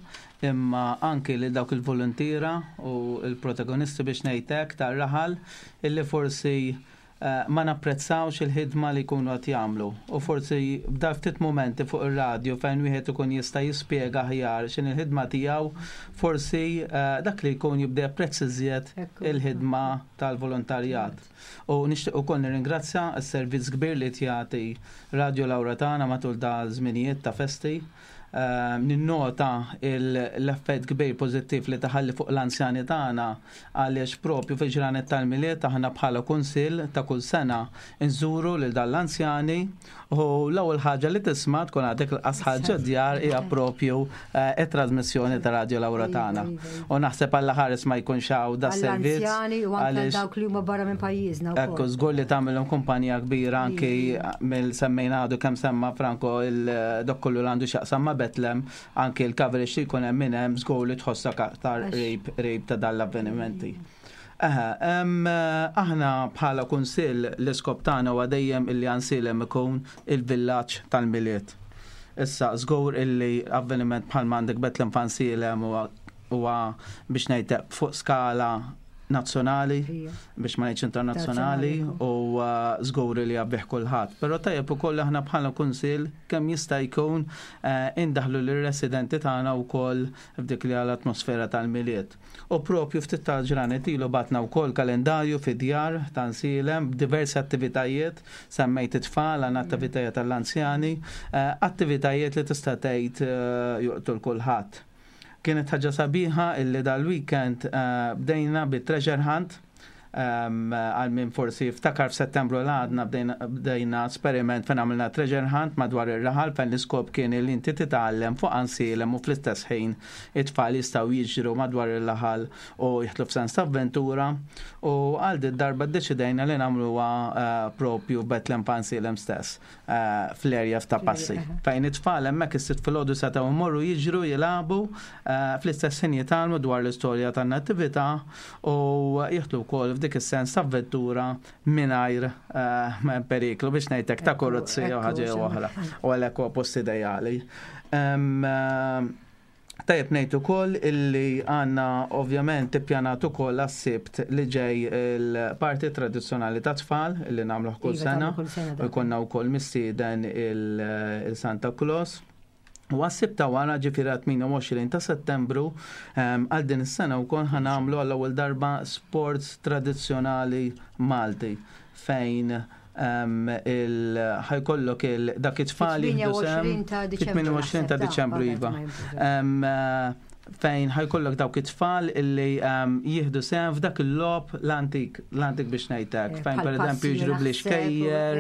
imma anki li dawk il-volontiera u l-protagonisti biex ngħidlek tar-raħal illi forsi ma napprezzawx il-ħidma li jkunu qed jagħmlu. U forsi b'dal ftit momenti fuq ir-radju fejn wieħed ikun jista' jispjega aħjar x'in il-ħidma tiegħu, forsi dak li jkun jibda japprezza iżjed il-ħidma tal-volontarjat. U nixtieq ukoll nirringrazzja s-servizz kbir li jagħti Radio Lauretana matul da żminijiet ta' festi. Ninnota l-effett kbir pożittiv li taħalli fuq l-anzjani tagħna għaliex propju fil-ġranet tal-Milied aħna bħala kunsill ta' kull sena nżuru lil dan l-anzjani u l-ewwel ħaġa li tisma' tkun għadek l-qas ħaġa djar hija propju it-trasmissjoni ta' Radio Lauretana. U naħseb Alla ħares ma jkunx hawn da servizz.
Għall-anzjani u anke
għaliex
dawk li huma barra minn pajjiżna
Ekku,
wkoll.
żgur li tagħmilhom kumpanija kbira anki mill-semmejna għadu kemm semma Franco il-dok kollu li għandu x'jaqsam ma' Betlem, anki l-coverage li jkun hemm minn hemm żgur li tħossok aktar qrib qrib ta' dan l-avvenimenti. Aħna bħala kunsill l-iskop tagħna huwa dejjem illi Għajnsielem ikun il-villaġġ tal-Milied. Issa żgur illi avveniment bħal m'għandek Betlem f'Għajnsielem huwa biex ngħidlek fuq skala nazzjonali, biex ma ngħidx internazzjonali, u żgur li jabbih kulħadd. Però tajjeb ukoll aħna bħala kunsill kemm jista' jkun indaħlu lir-residenti tagħna wkoll f'dik li għal atmosfera tal-Milied. U propju ftit ta' ġranet ilu batna wkoll kalendarju fid-djar ta' Għajnsielem b'diversi attivitajiet, semmejt it-tfal, għandna attivitajiet tal-anzjani, attivitajiet li tista' tgħid juqtu l kulħadd. Kienet ħaġa sabiħa illi dal-weekend bdejna bi treasure hunt. Għal min forsi ftakar f'Settembru l għadna bdejna esperiment fejn għamilna treasure hunt madwar ir-raħal fejn l-iskop kien li inti titgħallem fuq Għajnsielem u fl-istess ħin it-tfal jistgħu jiġru madwar ir-raħal u jidħlu f'sens ta' avventura u għal din darba ddeċidejna li nagħmluha propju Betlem f'Għajnsielem stess fl-area ta' passi. Fejn it-tfal hemmhekk is-Sibt filgħodu setgħu jmorru jiġru jilagħbu fl-istess ħin jitgħallmu dwar l-istorja tan-nattività u jidħlu wkoll f'dik is-sens ta' avventura mingħajr periklu biex ngħidlek ta' korruzzjoni jew ħaġa jew oħra. U għalhekk huwa post ideali. Tajjeb ngħid ukoll illi għandna ovvjament ippjanat ukoll għas-Sibt li ġej il-party tradizzjonali ta' tfal illi nagħmluh kull
Iva,
sena.
tagħmlu kull sena
U
dak.
jkollna wkoll mistieden il-Santa Claus. U għas-Sibt ta' wara ġifieri 28 ta' Settembru għal din is-sena wkoll ħa nagħmlu għall-ewwel darba sports tradizzjonali Malti fejn ħajkollok il dak it-tfal jieħdu sehem
28 ta' Diċembru
28 ta'
naħseb, ta'
Diċembru
qabel
iva.
ma jinbidel.
Fejn ħajkollok dawk it-tfal illi jieħdu sehem f'dak il-logħob l-antik, l-antik biex ngħidlek, fejn
Bħal
pereżempju
passi
jiġru
naħseb u,
bl-ixkejjer,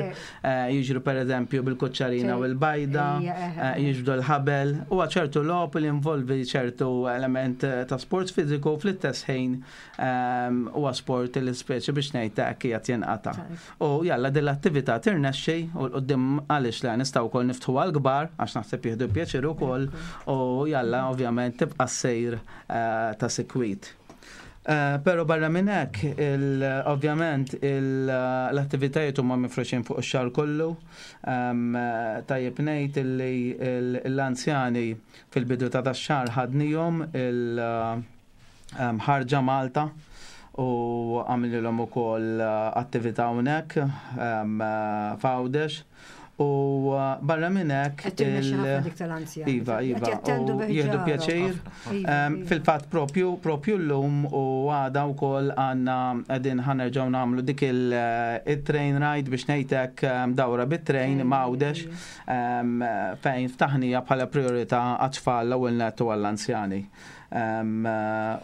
jiġru pereżempju bil-kuċċarina u l-bajda,
Ejja, eh, eh.
jiġbdu l-ħabel. Huwa ċertu logħob li involvi ċertu element ta' sport fiżiku fl-istess ħin huwa sport li speċi biex ngħidlek qiegħed jinqata'. U jalla din l-attività tirnexxi u l-qudiem għaliex le nistgħu wkoll niftħu għall-kbar għax naħseb jieħdu pjaċir ukoll u jalla ovvjament tibqa' sejr ta' sikwit. Però barra minn hekk, ovvjament l-attivitajiet huma mifruxin fuq ix-xahar kollu. Tajjeb ngħid illi l-anzjani fil-bidu ta' dax-xahar ħadnihom il-ħarġa Malta u għamililhom ukoll attività hawnhekk f'Għawdex. U barra minn hekk
Qed tirnexxi ħafna dik tal-anzjani.
Iva,
Qed
iva,
jattendu
u
bi
jieħdu
ħġarhom.
pjaċir.
Iva, iva.
Fil-fatt propju llum u għada wkoll għandna qegħdin ħa nerġgħu nagħmlu dik il-train ride biex ngħidlek dawra bit-train
Train,
ma' Għawdex, fejn ftaħnija bħala priorità għat-tfal l-ewwel nett u għall-anzjani.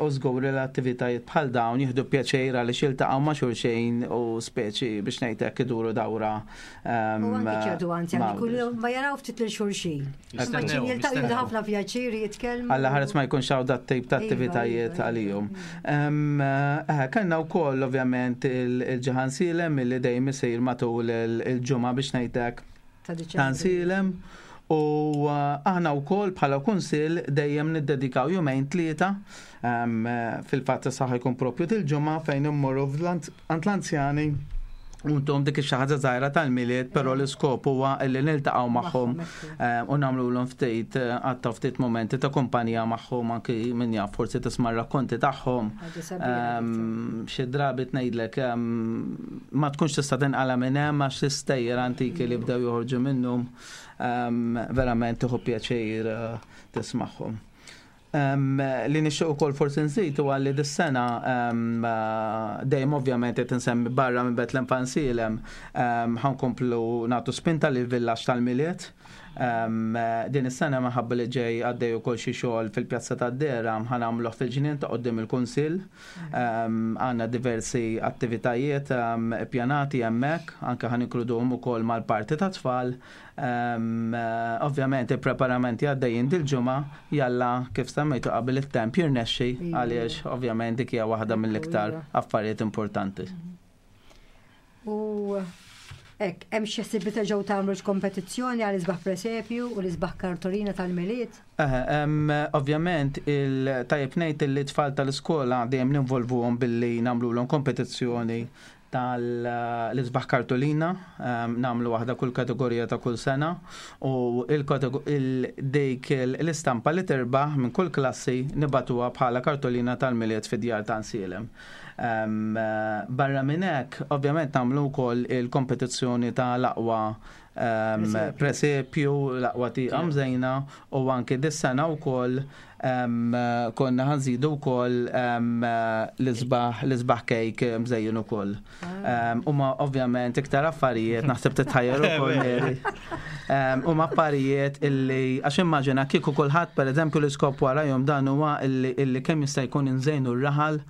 U żgur li l-attivitajiet bħal dawn jieħdu pjaċir għaliex jiltaqgħu ma' xulxin u speċi biex ngħidlek iduru dawra.
U anki ċertu anzjani
ma'
kull
Għawdex.
ma jaraw ftit lil xulxin.
Jistennew,
Imma ċin jiltaqgħu
jistennew.
jieħdu ħafna pjaċir jitkellmu.
Alla ħares ma jkunx hawn dat tip ta'
Iva,
attivitajiet
iva, iva.
għalihom. Kellna wkoll ovvjament il-Ġaħan Silem illi dejjem isir matul il-ġimgħa biex ngħidlek
Ta' Diċembru.
ta' Silem. U aħna wkoll bħala kunsill dejjem niddedikaw jumejn tlieta, fil-fatt issa ħajkun propju dil-ġimgħa fejn immorru għand l-anzjani u ntuhom dik xi ħaġa żgħira tal-Milied, però l-iskop huwa li niltaqgħu magħhom, u nagħmluhom ftit, għatta ftit momenti ta' kumpanija magħhom, anki min jaf forsi tisma' r-rakkonti tagħhom.
Ħaġa sabiħa dik.
Xi drabi tgħidlek, ma tkunx tista' tinqala' minn hemm għax l-istejjer antiki li bdew joħorġu minnhom, verament tieħu pjaċir tismagħhom. Li nixtieq ukoll forsi nżid huwa li dis-sena, dejjem ovvjament qed insemmi barra minn Bethlehem Fansilem, ħankomplu nagħtu spinta lil villaġġ tal-Milied. Din is-sena minħabba li ġej għaddej ukoll xi xogħol fil-Pjazza tad-Dehra ħanagħmluh fil-ġnien ta' quddiem il-Kunsill. Għandna diversi attivitajiet ippjanati hemmhekk, anke ħaninkluduhom ukoll mal-parti ta' tfal. Ovvjament il-preparamenti għaddejjin dil-ġimgħa, jalla kif semmejtu qabel it-temp jirnexxi, għaliex ovvjament dik hija waħda mill-iktar affarijiet importanti.
U hekk, hemm xi ħsieb li terġgħu tagħmlu kompetizzjoni għal isbaħ presepju u l-isbaħ kartolina tal-Milied?
Ovvjament il-tajjeb ngħid li t-tfal tal-iskola dejjem ninvolvuhom billi nagħmluhom kompetizzjoni tal-isbaħ kartolina, nagħmlu waħda kull kategorija ta' kull sena, u dik l-istampa li tirbaħ minn kull klassi nibatuha bħala kartolina tal-Milied fid-djar ta' Nsielem. Barra minn hekk, ovvjament nagħmlu wkoll il-kompetizzjoni ta' l-aqwa
Presepju.
presepju, l-aqwa tieqa mżejna, u anke dis-sena wkoll konna ħanżidu wkoll l-isbaħ kejk mżejjin ukoll. Huma ovvjament iktar affarijiet, naħseb titħajjar ukoll, Mary. Huma affarijiet illi għax immaġina kieku kulħadd pereżempju l-iskop warahom dan huwa illi kemm jista' jkun inżejnu r-raħal.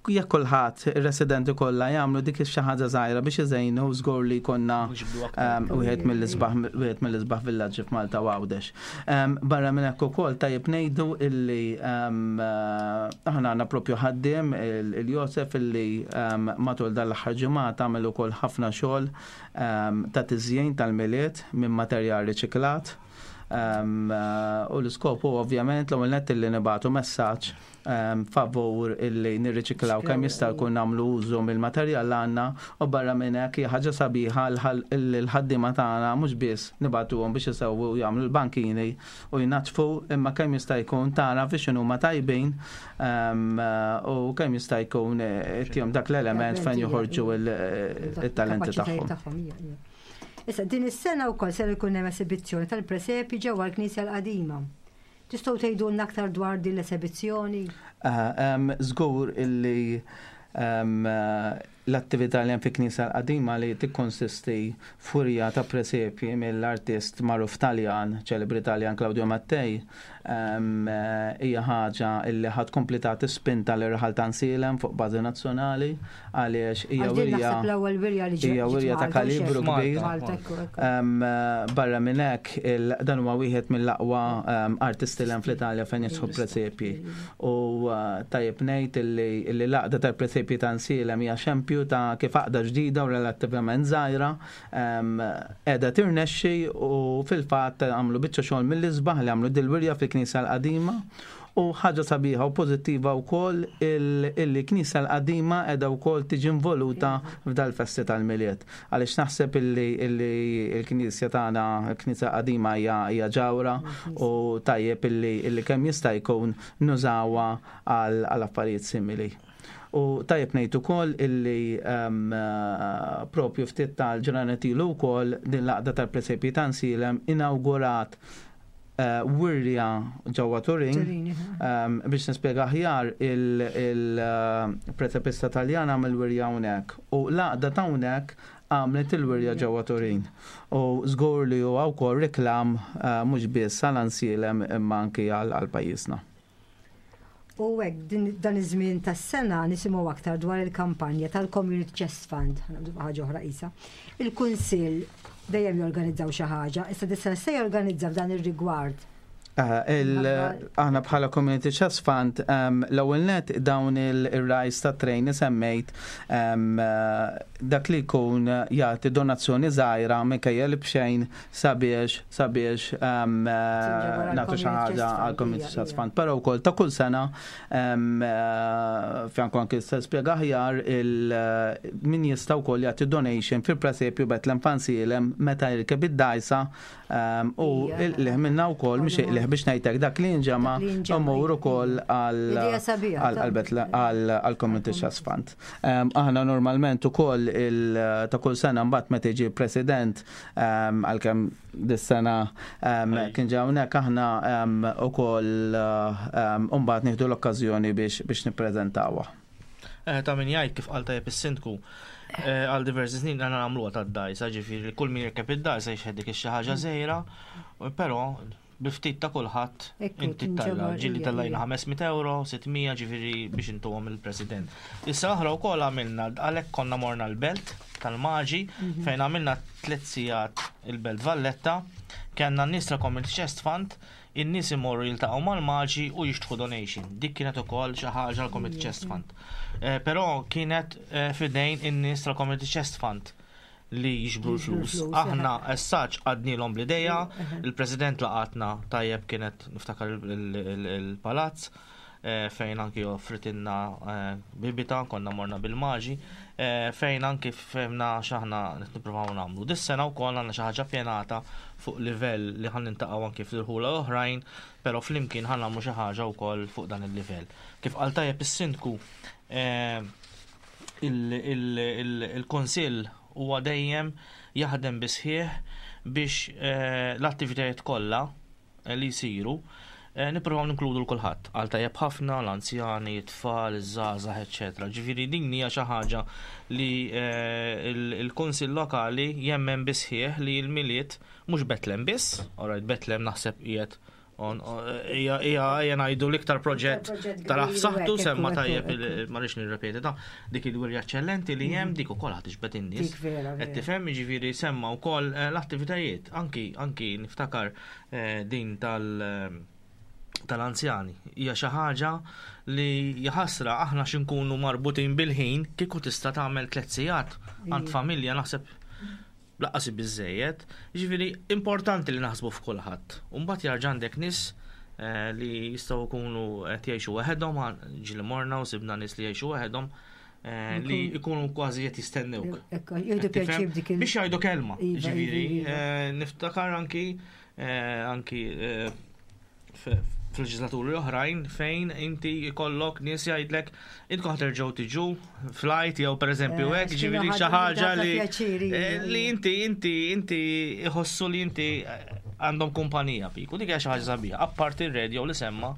Jekk kulħadd ir-residenti kollha jagħmlu dik xi ħaġa żgħira biex iżejnu, żgur li jkollna,
Mhux jibdu aktar.
wieħed mill-isbaħ villaġġi f'Malta u Għawdex. Barra minn hekk ukoll tajjeb ngħidu illi aħna għandna propju ħaddiem il-Josef illi matul dan l-aħħar ġimgħa tagħmel ukoll ħafna xogħol ta' tiżjin tal-Milied minn materjal riċiklat. U l-iskop hu ovvjament l-ewwel nett illi nibagħtu messaġġ favur illi nirriċiklaw kemm jista' jkun nagħmlu użu mill-materjal li għandna u barra minn hekk hija ħaġa sabiħa l-ħaddiema tagħna mhux biss nibagħtuhom biex isewwu u jagħmlu l-bankini u jnaddfu imma kemm jista' jkun tara fiex inhuma tajbin u kemm jista' jkun ittihom dak l-element fejn joħorġu it-talenti tagħhom.
Issa din is-sena wkoll ser ikun hemm esibizzjoni tal-presepi ġewwa l-Knisja l-Qadima. Tistgħu tgħidulna aktar dwar din l-esebizzjoni?
Żgur illi l-attività li hemm fi Knisja l-Qadima li tikkonsisti f'wirja ta' presepji mill-artist magħruf Taljan, ċelebri Taljan Claudio Mattei, hija ħaġa illi ħa tkompli tagħti spinta lir-raħal ta' Nsielem fuq bażi nazzjonali għaliex hija wirja hija wirja ta' kalibru kbir. Barra minn hekk dan huwa wieħed mill-aqwa artisti l fl-Italja fejn jidħlu presepji. U tajjeb ngħid illi l-għaqda tal-presepji ta' Nsielem hija xempju ta' kif għaqda ġdida u relattivament żgħira qiegħda tirnexxi u fil-fatt għamlu biċċa xogħol mill-isbaħ li għamlu dil-wirja fil-Knisja l-Qadima u ħaġa sabiħa u pożittiva wkoll illi Knisja l-Qadima qiegħda wkoll tiġi involuta f'dal-festi tal-Milied. Għaliex naħseb illi l-Knisja tagħna, l-Knisja Qadima hija ġawra u tajjeb illi kemm jista' jkun nużawha għal affarijiet simili. U tajjeb ngħid ukoll illi propju ftit tal-ġranet ilu wkoll din l-għaqda tal-presepji ta' Nsielem inawgurat wirja ġewwa Turin biex nispjega aħjar il-presepista Taljan għamel wirja hawnhekk u l-għaqda ta' hawnhekk għamlet il-wirja ġewwa Turin. U żgur li huwa wkoll reklam mhux biss għal Ansielem imma anki għal pajjiżna.
U hekk dan iż-żmien tas-sena nisimgħu aktar dwar il-kampanja tal-Community Chest Fund, ħaġa oħra qisha. Il-Kunsill dejjem jorganizzaw xi ħaġa, issa dis-sena se jorganizza f'dan ir-rigward.
Aħna bħala Community Chest Fund l-ewwel net dawn il-rajs ta' trejn semmejt dak li jkun jagħti donazzjoni żgħira minkejja li b'xejn sabiex sabiex nagħtu xi ħaġa għal Community Trust Fund. Però wkoll ta' kull sena Franco anke se spjega aħjar min jista' wkoll jagħti donation fil-presepju Bethlehem Fansilem meta jirkeb id-dajsa u il-qliħ minna wkoll mhux iqliħ biex ngħidlek dak li jinġema' imur ukoll għal Community Trust Fund. Aħna normalment ukoll ta' kull sena mbagħad meta jiġi president Għalkemm dis-sena kien ġa hawnhekk aħna ukoll mbagħad nieħdu l-okkażjoni biex nippreżentawha.
Eh, ta' min jgħid kif qal tajjeb is-sindku eh, għal diversi snin għandna nagħmluha tad-dajsa, ġifieri kull min jirkeb id-dajsa jixħed dik xi ħaġa żgħira, però bi ftit ta' kulħadd inti tella ġilli tellajna 500 euro, 600 ġifieri biex intuhom il-President. Issa oħra wkoll għamilna għalhekk konna morna l-belt tal-Maġi mhm. fejn għamilna tliet sigħat il-Belt Valletta, kellna n-nies ta' Community Chest Fund, in-nies imorru jiltaqgħu mal-Maġi u jixtħu donation. Dik kienet ukoll xi ħaġa l-Community Chest Fund. Eh, però kienet eh, fidejn in-nies tal-Community Chest Fund li jiġbru l-flus. Aħna as such għadnilhom bl-ideja, il-President laqatna tajjeb kienet niftakar il-palazz eh, fejn anki offritinna eh, bibita, konna morna bil-maġi, eh, fejn anki fehmna x'aħna nippruvaw nagħmlu. Dis-sena wkoll għandna xi ħaġa pjanata fuq livell li ħan nintaqgħu anki fl-irħula oħrajn, però flimkien ħan nagħmlu xi ħaġa wkoll fuq dan il-livell. Kif qal tajjeb is-sindku, il-Kunsill huwa dejjem jaħdem bis-sħiħ biex eh, l-attivitajiet kollha eh, li jsiru eh, nippruvaw ninkludu l-kulħadd. Għal tajjeb ħafna, l-anzjani, it-tfal, iż-żgħażagħ, eċċetera. Ġifieri din hija xi ħaġa li l-Kunsill Lokali jemmen bisħieħ li l-Milied mhux Betlem biss, alright Betlem naħseb qiegħed Ija ngħidu l-iktar proġett tal saħtu semma tajjeb ma rridx nirrepeti ta' dik il-wirja eċċellenti li hemm dik ukoll ħad tixbet in-nies. Qed tifhem jiġifieri semma wkoll eh, l-attivitajiet anki anki niftakar eh, din tal eh, tal-anzjani. Hija xi ħaġa li jaħasra aħna x'inkunu marbutin bil-ħin kieku tista' tagħmel tliet sigħat għand familja naħseb. Lanqas hi biżżejjed. Jiġifieri importanti li naħsbu f'kulħadd. U mbagħad jarġa' għandek nies eh, li jistgħu jkunu qed jgħixu waħedhom, ġieli morna u sibna nies li jgħixu waħedhom eh, li jkunu kważi qed jistennewk. Biex jgħidu kelma. Iva, jiġifieri, iva, iva. Eh, niftakar anki anki f'leġislaturi oħrajn fejn inti jkollok nies jgħidlek intkom ħaterġgħu tiġu flight jew pereżempju eh, hekk, ġifieri xi ħaġa li eh, li inti inti inti jħossu li inti eh, għandhom kumpanija fik. U dik hija xi ħaġa sabiħa. Apparti r-radio li semma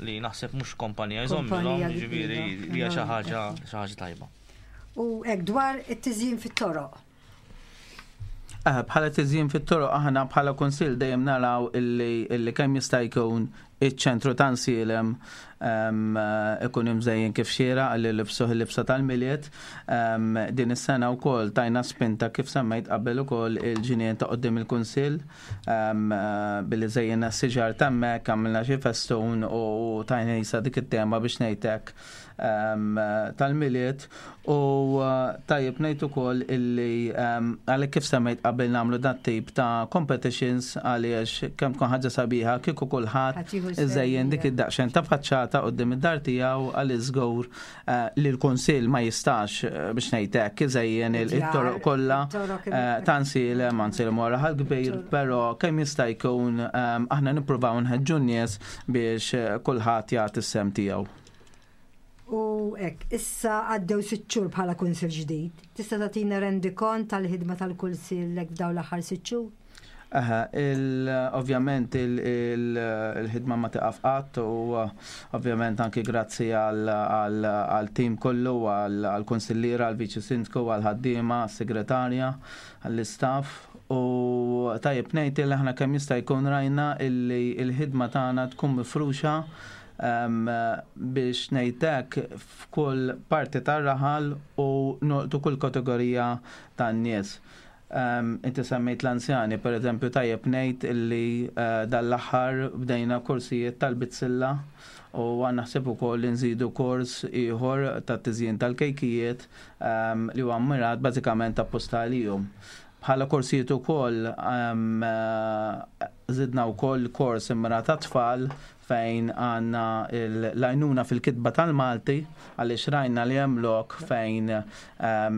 li naħseb mhux kumpanija jżommilhom, ġifieri li hija xi ħaġa xi ħaġa tajba.
U hekk dwar it-tiżjin fit-toroq.
Eh, bħala tiżjin fit-toroq aħna bħala kunsill dejjem naraw illi kemm jista' jkun iċ-ċentru ta' Nsielem ehm, ikun imżejjen kif xiera għalli libsuh il-libsa tal-Milied. Ehm, din is-sena wkoll tajna spinta kif semmejt qabel ukoll il-ġinien ta' qudiem il-kunsill ehm, billi żejjinna s-siġar t'hemmhekk għamilna xi festun u tajna jisa dik it-tema biex ngħidlek tal-Milied u tajjeb ngħid ukoll illi għalhekk kif semmejt qabel nagħmlu dat tip ta' competitions għaliex kemm tkun ħaġa sabiħa kieku kulħadd iżejjen dik id-daqsxejn ta' faċċata quddiem id-dar tiegħu għaliex żgur eh, li l-Kunsill ma jistax eh, biex ngħid hekk iżejjen it-toroq kollha eh, ta' nsilem nsilem wara ħal kbir, però kemm jista' jkun aħna nippruvaw nħeġġu n-nies biex kulħadd jagħti s-sem tiegħu.
U hekk, issa għaddew sitt xhur bħala kunsill ġdid. Tista' tagħtina rendikont tal-ħidma tal-kunsill hekk f'dawn l-aħħar sitt xhur?
Aha, ovvjament il-ħidma ma tiqaf qatt u ovvjament anki grazzi għal-tim kollu, għal-kunsilliera, għal-viċi sindku, għal-ħaddiema, għas-segretarja, għall-istaff. U tajjeb ngħid li aħna kemm jista' jkun rajna illi l-ħidma tagħna tkun mifruxa biex ngħid hekk f'kull parti tar-raħal u nolqtu kull kategorija tan-nies. Inti semmejt l-anzjani, per eżempju, tajjeb ngħid illi eh, dan l-aħħar bdejna korsijiet tal-bizzilla u għandna ħsieb ukoll li nżidu kors ieħor tat-tiżjin tal-kejkijiet li huwa mmirat bażikament apposta għalihom. Bħala korsijiet ukoll żidna wkoll kors immirat għat-tfal fejn għandna l-għajnuna fil-kitba tal-Malti għaliex rajna li hemm lok fejn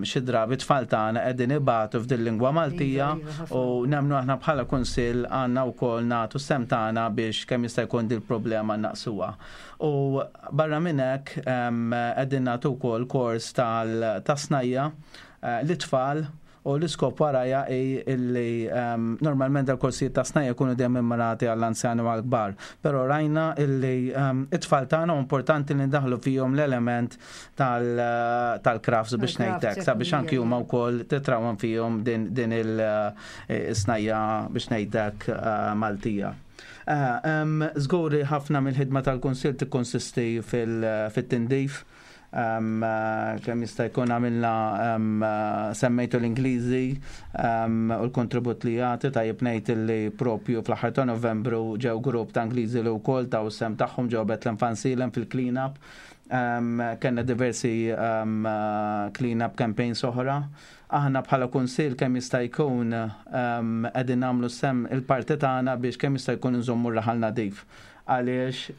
xi drabi t-tfal tagħna qegħdin ibatu f'din lingwa Maltija iva, iva, u nemmnu aħna bħala kunsill għandna wkoll nagħtu s-sehem tagħna biex kemm jista' jkun din il-problema naqsuha. U barra minn hekk qegħdin nagħtu wkoll kors tas-snajja eh, lit-tfal U l-iskop warajha hi illi normalment dal-korsijiet ta' snajja jkunu dejjem immirati għall-anzjani u għall-kbar. Però rajna illi it-tfal tagħna importanti li ndaħlu fihom l-element tal-crafts biex ngħid hekk, sabiex anki huma wkoll titrawhem fihom din il-snajja biex ngħid hekk Maltija. Żgur li ħafna mill-ħidma tal-Kunsill tikkonsisti fit-tindif. Kemm jista' jkun għamilna semmejtu l-Ingliżi u l-kontribut li jagħti tajjeb ngħid li propju fl-aħħar ta' Novembru ġew grupp ta' Ingliżi li wkoll taw is-sehem tagħhom ġew Bethlehem Fansilem fil-clean-up. Kellna diversi clean-up campaigns oħra. Aħna bħala kunsill kemm jista' jkun qegħdin nagħmlu s-sehem il-parti tagħna biex kemm jista' jkun inżommu r-raħal nadif. għaliex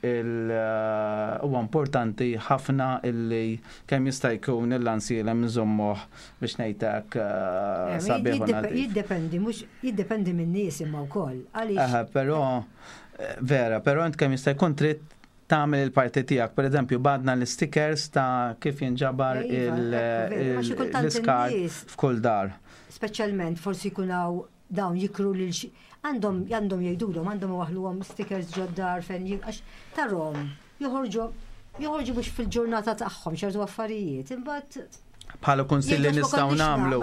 huwa importanti ħafna illi kemm jista' jkun il-lansielem nżommuh biex ngħid hekk eh, sabiħ u nadif.
Jiddependi, mhux jiddependi min-nies imma wkoll. Għaliex.
Però eh, vera, però int kemm jista' jkun trid tagħmel il-parti tiegħek. Per eżempju, badna l-stickers ta' kif jinġabar iva, l-iskart f'kull dar.
Speċjalment forsi jkun hawn dawn jikru lil xi għandhom għandhom jgħidulhom għandhom iwaħħluhom stickers ġod-dar fejn għax tarhom joħorġu joħorġu mhux fil-ġurnata tagħhom ċertu affarijiet imbagħad
bħala kunsilli nistgħu nagħmlu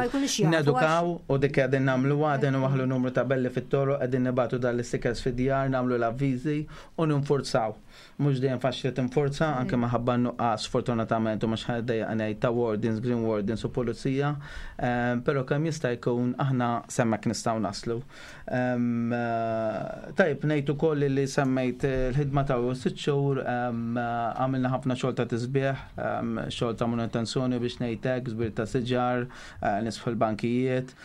nedukaw u dik qegħdin nagħmlu għadin waħlu numru ta' belli fit-toroq qegħdin nibatu dan l-istickers fid-djar nagħmlu l-avviżi u ninfurzaw. Mhux dejjem faċli tinfurza, anke minħabba n-nuqqas sfortunatament u mhux ħa niddejjaq ngħid ta' wardens, green wardens u pulizija, però kemm jista' jkun aħna s'hemmhekk nistgħu naslu. Tajjeb ngħid ukoll li semmejt il-ħidma ta' sitt xhur għamilna ħafna xogħol ta' tisbieħ, xogħol ta' manutenzjoni biex ngħid hekk. hekk, żbir ta' siġar, nisħu l-bankijiet,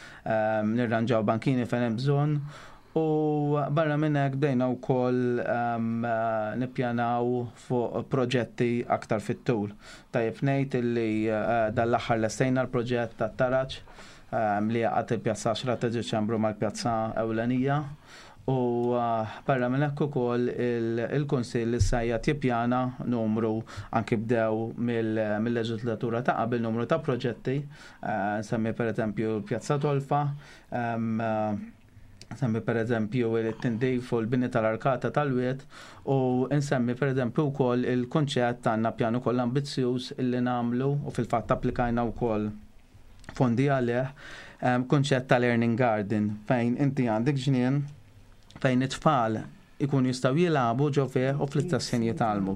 nirranġaw bankini fejn hemm bżonn. U barra minn hekk bdejna wkoll nippjanaw fuq proġetti aktar fit-tul. Tajjeb ngħid illi dan l-aħħar lestejna l-proġett tat-taraġ li jgħaqqad il-Pjazza 10 ta' Diċembru mal-Pjazza Ewlenija. U barra minn hekk ukoll il-Kunsill issa qiegħed jippjana numru anki bdew mill-leġislatura ta' qabel numru ta' proġetti, nsemmi pereżempju l-Pjazza Tolfa, nsemmi pereżempju it-tindif u l-bini tal-arkata tal-wied u nsemmi pereżempju wkoll il-kunċett għandna pjan ukoll ambizzjuż illi nagħmlu u fil-fatt applikajna wkoll fondi għalih, kunċett ta' learning garden fejn inti għandek ġnien fejn it-tfal ikun jistgħu jilagħbu ġo fih u fl-istess ħin jitgħallmu.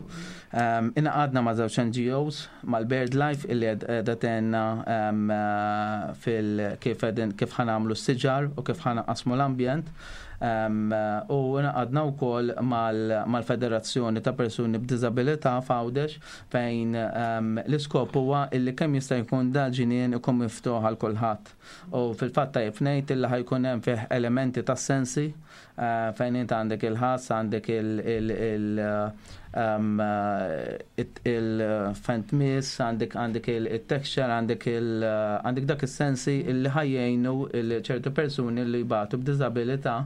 Ingħaqadna ma' żewġ NGOs, mal-BirdLife illi qiegħda tgħinna fil kif qegħdin kif ħa nagħmlu s-siġar u kif ħa nqassmu l-ambjent. U ingħaqadna wkoll mal-Federazzjoni ta' Persuni b'Diżabilità f'Għawdex fejn l-iskop huwa illi kemm jista' jkun dal-ġnien ikun miftuħ għal kulħadd. U fil-fatt tajjeb ngħid illi ħa jkun hemm fih elementi tas-sensi fejn int għandek il-ħass, għandek il-fentmis, għandek għandek il-texture, għandek għandek dak is-sensi illi ħa jgħinu ċertu persuni li jbatu b'diżabilità,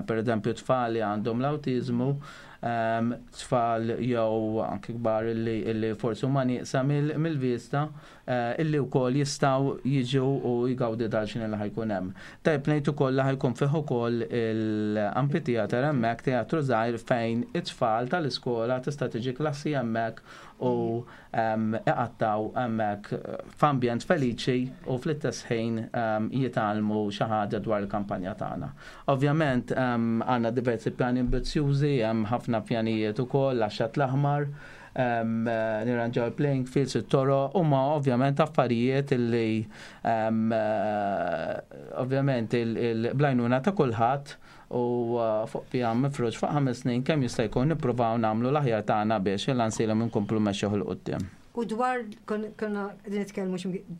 per eżempju tfal li għandhom l-awtiżmu, tfal jew anki kbar illi forsi huma nieqsa mill-vista illi wkoll jistgħu jiġu u jgawdu dal-ġnien li ħa jkun hemm. Tajjeb ngħid ukoll li ħa jkun fih ukoll il-amphitheater hemmhekk, teatru żgħir fejn it-tfal tal-iskola tista' tiġi klassi hemmhekk u iqattgħu hemmhekk f'ambjent feliċi u fl-istess ħin jitgħallmu xi ħaġa dwar il-kampanja tagħna. Ovvjament għandna diversi pjani ambizzjużi, hemm ħafna pjanijiet ukoll għax-Xatt l-Aħmar, nirranġaw il-playing fields, it-toroq, huma ovvjament affarijiet li ovvjament il-blajnuna ta' kulħadd u fuq pjan mifrux fuq 5 snin kemm jista' jkun nippruvaw nagħmlu l-aħjar tagħna biex il-Għansielem inkomplu mmexxuh 'il quddiem.
U dwar, konna qegħdin nitkellmu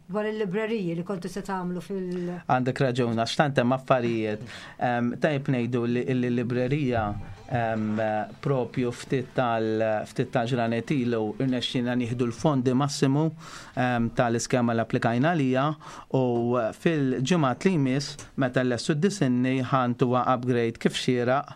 dwar il-libreriji li kontu se tagħmlu fil-
Għandek raġun, għax tant hemm affarijiet. Tajjeb ngħidu li l-librerija propju ftit tal ftit tal-ġranet ilu irnexxielna nieħdu l-fondi massimu tal-iskema li applikajna għaliha u fil-ġimgħat li jmiss meta nlestu d-disinni ħa ntuha upgrade kif xieraq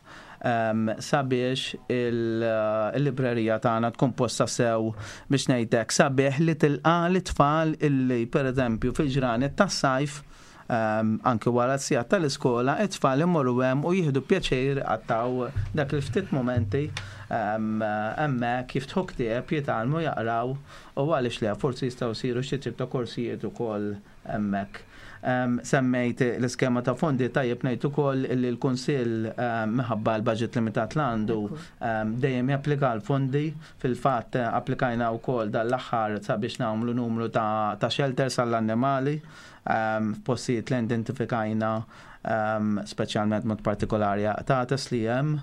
sabiex il-librerija tagħna tkun posta sew biex ngħid hekk sabiħ li tilqa' lit-tfal illi pereżempju fil-ġranet tas-sajf anki wara s-sigħat tal-iskola, it-tfal imorru hemm u jieħdu pjaċir iqattgħu dak il-ftit mumenti hemmhekk, jiftħu ktieb, jitgħallmu jaqraw u għaliex le, forsi jistgħu jsiru xi tip ta' korsijiet ukoll hemmhekk. Semmejt l-iskema ta' fondi, tajjeb ngħid ukoll li l-Kunsill minħabba l-budget limitat li għandu dejjem japplika l-fondi. Fil-fatt applikajna wkoll dan l-aħħar sabiex nagħmlu numru ta' shelters għall-annimali f'postijiet li identifikajna speċjalment mod partikolari qtates li hemm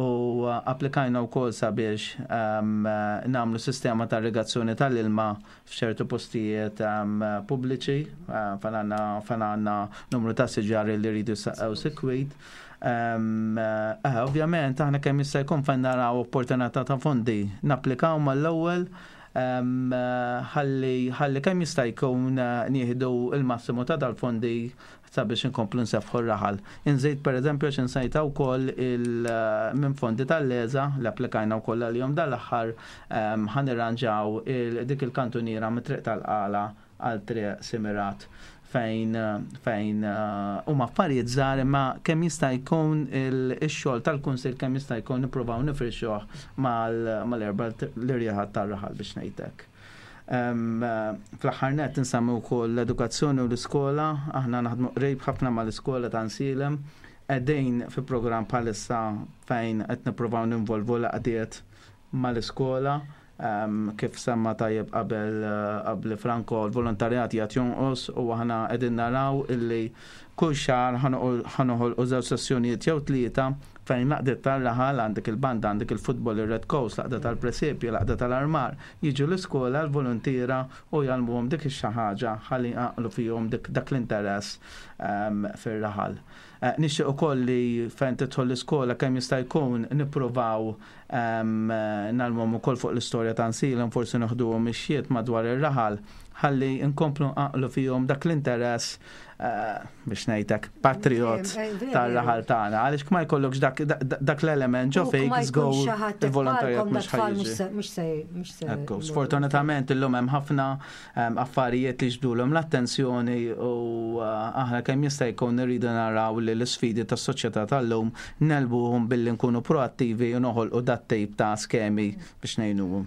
u applikajna wkoll sabiex nagħmlu sistema ta' irrigazzjoni tal-ilma f'ċertu postijiet pubbliċi fejn għandna fejn għandna numru ta' siġar li jridu jissaqqew sikwit. Ovvjament aħna kemm jista' jkun fejn naraw opportunità ta' fondi napplikaw mal-ewwel ħalli ħalli kemm jista' jkun nieħdu l-massimu ta' dal-fondi sabiex inkomplu nseffħu r-raħal. Inżid pereżempju għax insajta wkoll minn fondi tal-LESA li applikajna wkoll għalihom dal-aħħar ħa nirranġaw dik il-kantuniera mit-triq tal-Qala għal triq Simirat fejn fejn huma affarijiet żgħar imma kemm jista' jkun ix-xogħol tal-kunsill kemm jista' jkun nippruvaw nifrixuh mal-erba' l-irjaħat tar-raħal biex ngħid hekk. Fl-aħħar nett insemmi wkoll l-edukazzjoni u l-iskola. Aħna naħdmu qrib ħafna mal-iskola ta' Nsielem. Qegħdin fi programm bħalissa fejn qed nippruvaw ninvolvu l-għaqdiet mal-iskola. Kif semma tajjeb qabel qabli Franco, l-volontarjat qiegħed jonqos u aħna qegħdin naraw illi kull xahar ħa noħolqu żewġ sessjonijiet jew tlieta. Fejn l-għaqdiet tar-raħal, għandek il-banda, għandek il-futbol, ir-Red Coast, l-għaqda tal-presepju, l-għaqda tal-armar, jiġu l-iskola l-voluntiera u jgħallmuhom dik ix-xi ħaġa ħalli jqanqlu fihom dak l-interess fir-raħal. Nixtieq ukoll li fejn tidħol l-iskola kemm jista' jkun nippruvaw ngħallmuhom ukoll fuq l-istorja ta' Nsilem, forsi noħduhom mixjiet madwar ir-raħal ħalli nkomplu nqanqlu fihom dak l-interess biex ngħidlek patriot tar-raħal tagħna għaliex ma jkollokx dak l-element ġo fik żgur il-volontarjat mhux ħajġi. Ekku, sfortunatament illum hemm ħafna affarijiet li ġbdulhom l-attenzjoni u aħna kemm jista' jkun irridu naraw li l-isfidi tas-soċjetà tal-lum negħlbuhom billi nkunu proattivi u noħolqu dat-tip ta' skemi biex ngħinuhom.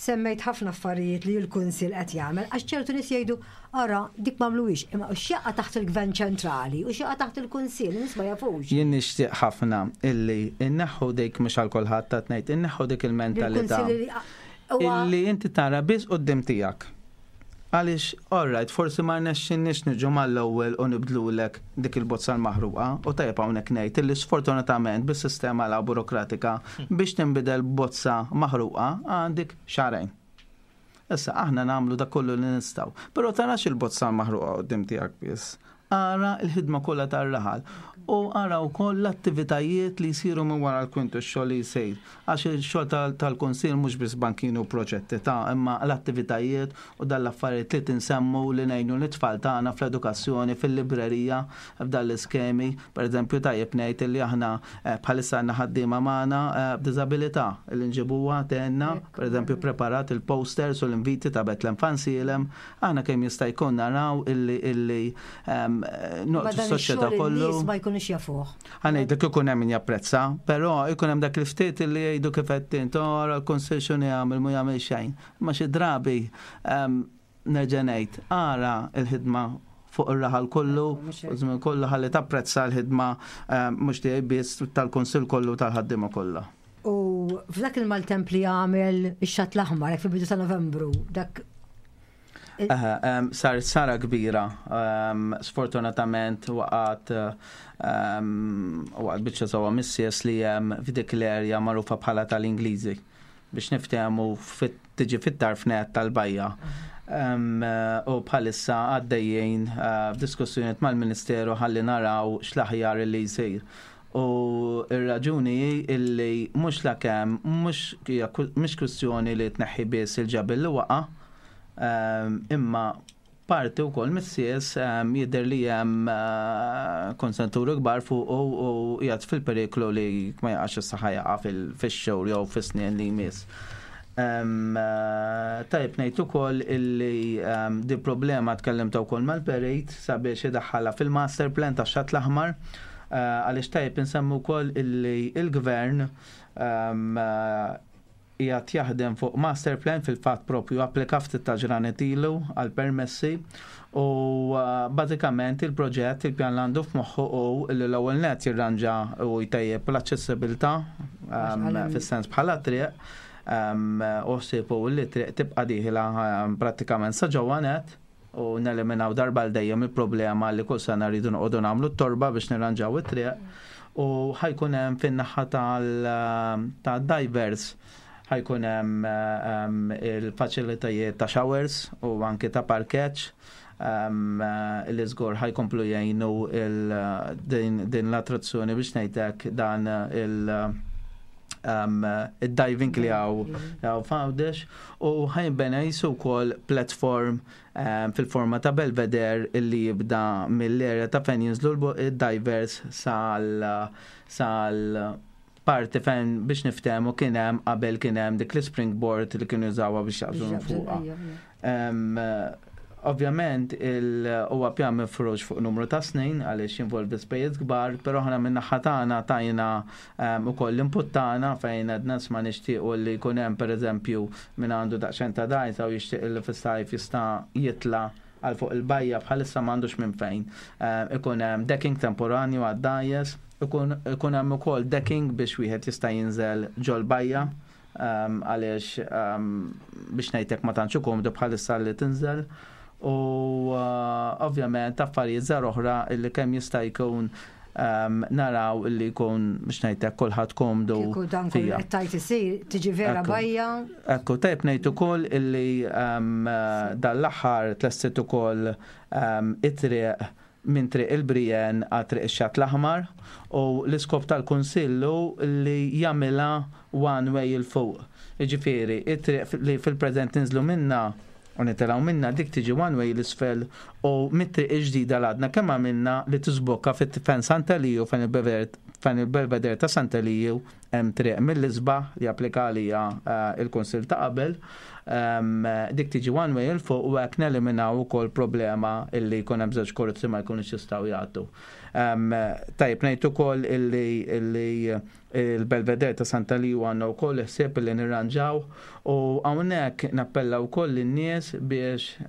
Semmejt ħafna affarijiet li l-Kunsill qed jagħmel għax ċertu nies jgħidu ara dik m'għamluhiex imma x'jaqa' taħt il-Gvern ċentrali u x'jaqa' taħt il-Kunsill, in-nies ma jafux.
Jien nixtieq ħafna illi nneħħu dik mhux għal kulħadd qed ngħid, inneħħu dik il-mentalità illi inti tara biss quddiem tiegħek. Għaliex, all right, forsi ma rnexxinniex niġu mal-ewwel u nibdlulek dik il-bozza l-maħruqa, u tajjeb hawnhekk ngħid illi sfortunatament bis-sistema la burokratika biex tinbidel bozza maħruqa għandek xahrejn. Issa aħna nagħmlu dak kollu li nistgħu, però tarax il-bozza l-maħruqa quddiem tiegħek biss. Ara l-ħidma kollha tar-raħal u ara wkoll l-attivitajiet li jsiru minn wara l-kwintu x-xogħol li jsir. Għax ix-xogħol tal-Kunsill mhux biss bankini u proġetti ta' imma l-attivitajiet u dan l-affarijiet li tinsemmu li ngħinu lit-tfal tagħna fl-edukazzjoni, fil-librerija, f'dan l-iskemi. Pereżempju tajjeb ngħid li aħna bħalissa għandna ħaddiema magħna b'diżabilità li nġibuha tgħinna, pereżempju ppreparat il-posters u l-inviti ta' Bethlehem Fansielem. Aħna kemm jista' jkun naraw illi illi noqtu s-soċjetà kollu.
Ma jkunux jafuh.
Ħa ngħidlek ikun hemm min japprezza, però ikun hemm dak il-ftit illi jgħidu kif qed int, oh, ara l-Kunsill x'inhu jagħmel mhu jagħmel xejn. Imma xi drabi nerġa' ngħid, ara l-ħidma fuq ir-raħal kollu, u żmien kollu ħalli tapprezza l-ħidma mhux tiegħi biss tal-Kunsill kollu tal-ħaddiema kollha.
U f'dak il-maltemp li għamel ix-Xatt l-Aħmar, hekk fil-bidu ta' Novembru, dak
Sar sara kbira, sfortunatament waqgħet waqgħet biċċa sewwa mis-sies li hemm f'dik l-erja magħrufa bħala tal-Ingliżi biex niftehmu tiġi fit-tarf net tal-bajja. U bħalissa għaddejjin eh, f'diskussjonijiet mal-Ministeru ħalli naraw x'l-aħjar li jsir. U r-raġuni hi illi mhux lakemm mhux mhix kwistjoni li tneħħi biss il-ġebel li waqa', imma parti wkoll mis-sies jidher li hemm konsenturi kbar fuqu u qiegħed fil-periklu li ma jaqax issa ħa jaqa' fix-xhur jew fis-snin li jmiss. Tajjeb ngħid ukoll illi di problema tkellimt wkoll mal-perit sabiex idaħħalha fil-master plan tax-Xatt l-Aħmar għaliex tajjeb insemmu wkoll illi l-Gvern qiegħed jaħdem fuq master plan fil-fatt propju applika ftit ta' ġranet ilu għal permessi u bażikament il-proġett il-pjan li għandu f'moħħu hu li l-ewwel nett jirranġa u jtejjeb l-aċċessibilità fis-sens bħala triq u ħsieb hu li t-triq tibqa' dieħla prattikament sa ġewwa nett u neliminaw darba għal dejjem il-problema li kull sena rridu noqogħdu nagħmlu t-torba biex nirranġaw it-triq u ħajkun hemm fin-naħa tal-divers ħajkun hemm il-faċilitajiet ta' showers u anki ta' parkeġġ li żgur ħajkomplu jgħinu din l-attrazzjoni biex ngħidlek dan il- id-diving li għaw f'Għawdex u ħajbena jisu wkoll platform fil-forma ta' belveder illi jibda mill-area ta' fejn jinżlu d-divers sal sal parti fejn biex niftehmu kien hemm qabel kien hemm dik l-springboard li kienu jużawha biex jaqbżu minn fuqha. Ovvjament huwa pjan mifrux fuq numru ta' snin għaliex jinvolvi spejjeż kbar, però aħna min-naħa tagħna tajna ukoll l-input tagħna fejn għedna isma' nixtiequ li jkun hemm pereżempju min għandu daqsxejn ta' dgħajsa u jixtieq li fis-sajf jista' jitla' għal fuq il-bajja bħalissa m'għandux minn fejn. Ikun hemm decking temporanju għad-dgħajjes, ikun hemm ukoll decking biex wieħed jista' jinżel ġol-bajja għaliex biex ngħidlek ma tantx hu komdu bħalissa li tinżel. U ovvjament affarijiet żgħar oħra li kemm jista' jkun. naraw illi jkun biex ngħidlek kulħadd komdu.
Kieku dan kollu qed tgħid isir, tiġi vera bajja.
Ekku, tajjeb ngħid ukoll illi dan l-aħħar tlestit ukoll it-triq minn Triq il-Brijen għal Triq ix-Xatt l-Aħmar u l-iskop tal-Kunsill hu li jagħmilha one way 'il fuq. Jiġifieri, it-triq li fil-preżent ninżlu minnha u nitilgħu minnha dik tiġi one way 'l isfel u mit-triq il-ġdida li għadna kemm għamilna li tiżbokka fejn Sant'Eliju fejn il-Belvedere ta' Sant'Eliju hemm triq mill-isbaħ li applika għaliha il-Kunsill ta' qabel, dik tiġi one way 'il fuq u hekk neliminaw ukoll problema illi jkun hemm żewġ karozzi ma jkunux jistgħu jgħaddu. Tajjeb ngħid ukoll illi il-Belvedere ta' Santa Liju għandna wkoll ħsieb illi nirranġaw u hawnhekk nappella wkoll lin-nies biex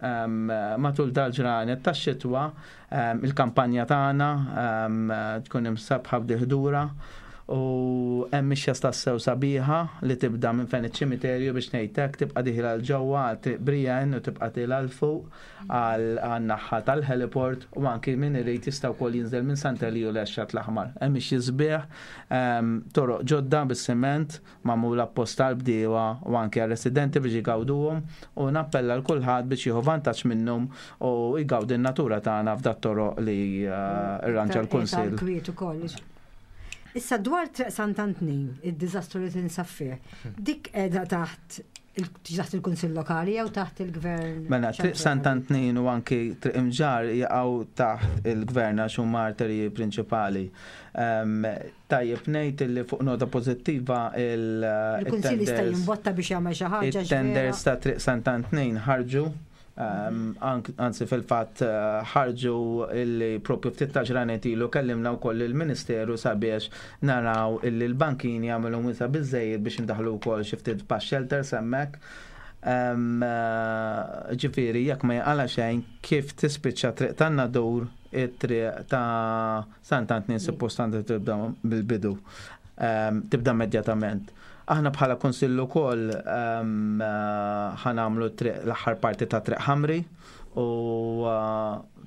matul dal-ġranet tax-xitwa Il-kampanja tagħna tkun imsabbħa b'dil-ħdura u hemm mixja tassew sabiħa li tibda minn fejn iċ-ċimiterju biex ngħid hekk tibqa' dieħla 'l ġewwa għal Triq Brienne u tibqa' tielgħa 'l fuq għan-naħa tal-heliport u anki min irid jista' wkoll jinżel minn Sant'Eliju lejn x-Xatt l-Aħmar. Hemm mixji sbieħ, toroq ġodda bis-siment magħmula apposta għall-bdiewa u anki għar-residenti biex igawduhom u nappella 'l kulħadd biex jieħu vantaġġ minnhom u jgawdi n-natura tagħna f'dat-toroq li rranġa l-Kunsill.
Kwiet ukoll. Issa dwar Triq Sant'Antnin, id-diżastru li tinsab fih, dik qiegħda taħt taħt il-Kunsill Lokali jew taħt il-Gvern?
Mela, Triq Sant'Antnin u anki Triq Imġarr jaqgħu taħt il-Gvern għax huma arterji prinċipali. Tajjeb ngħid illi fuq nota pożittiva il-
Il-Kunsill jista' jimbotta biex jagħmel xi ħaġa.
It-tenders ta' Triq Sant'Antnin ħarġu, anzi fil-fatt ħarġu illi propju ftit ta' ġranet ilu kellimna wkoll il-Ministeru sabiex naraw illi l-bankini jagħmilhom wiesa' biżżejjed biex indaħħlu wkoll xi ftit bus shelters hemmhekk. Ġifieri jekk ma jinqala' xejn kif tispiċċa Triq tan-Nadur it-triq ta' Sant'Antnin suppost għandha tibda mill-bidu, tibda immedjatament. Aħna bħala Kunsill ukoll ħa nagħmlu l-aħħar parti ta' Triq Ħamri u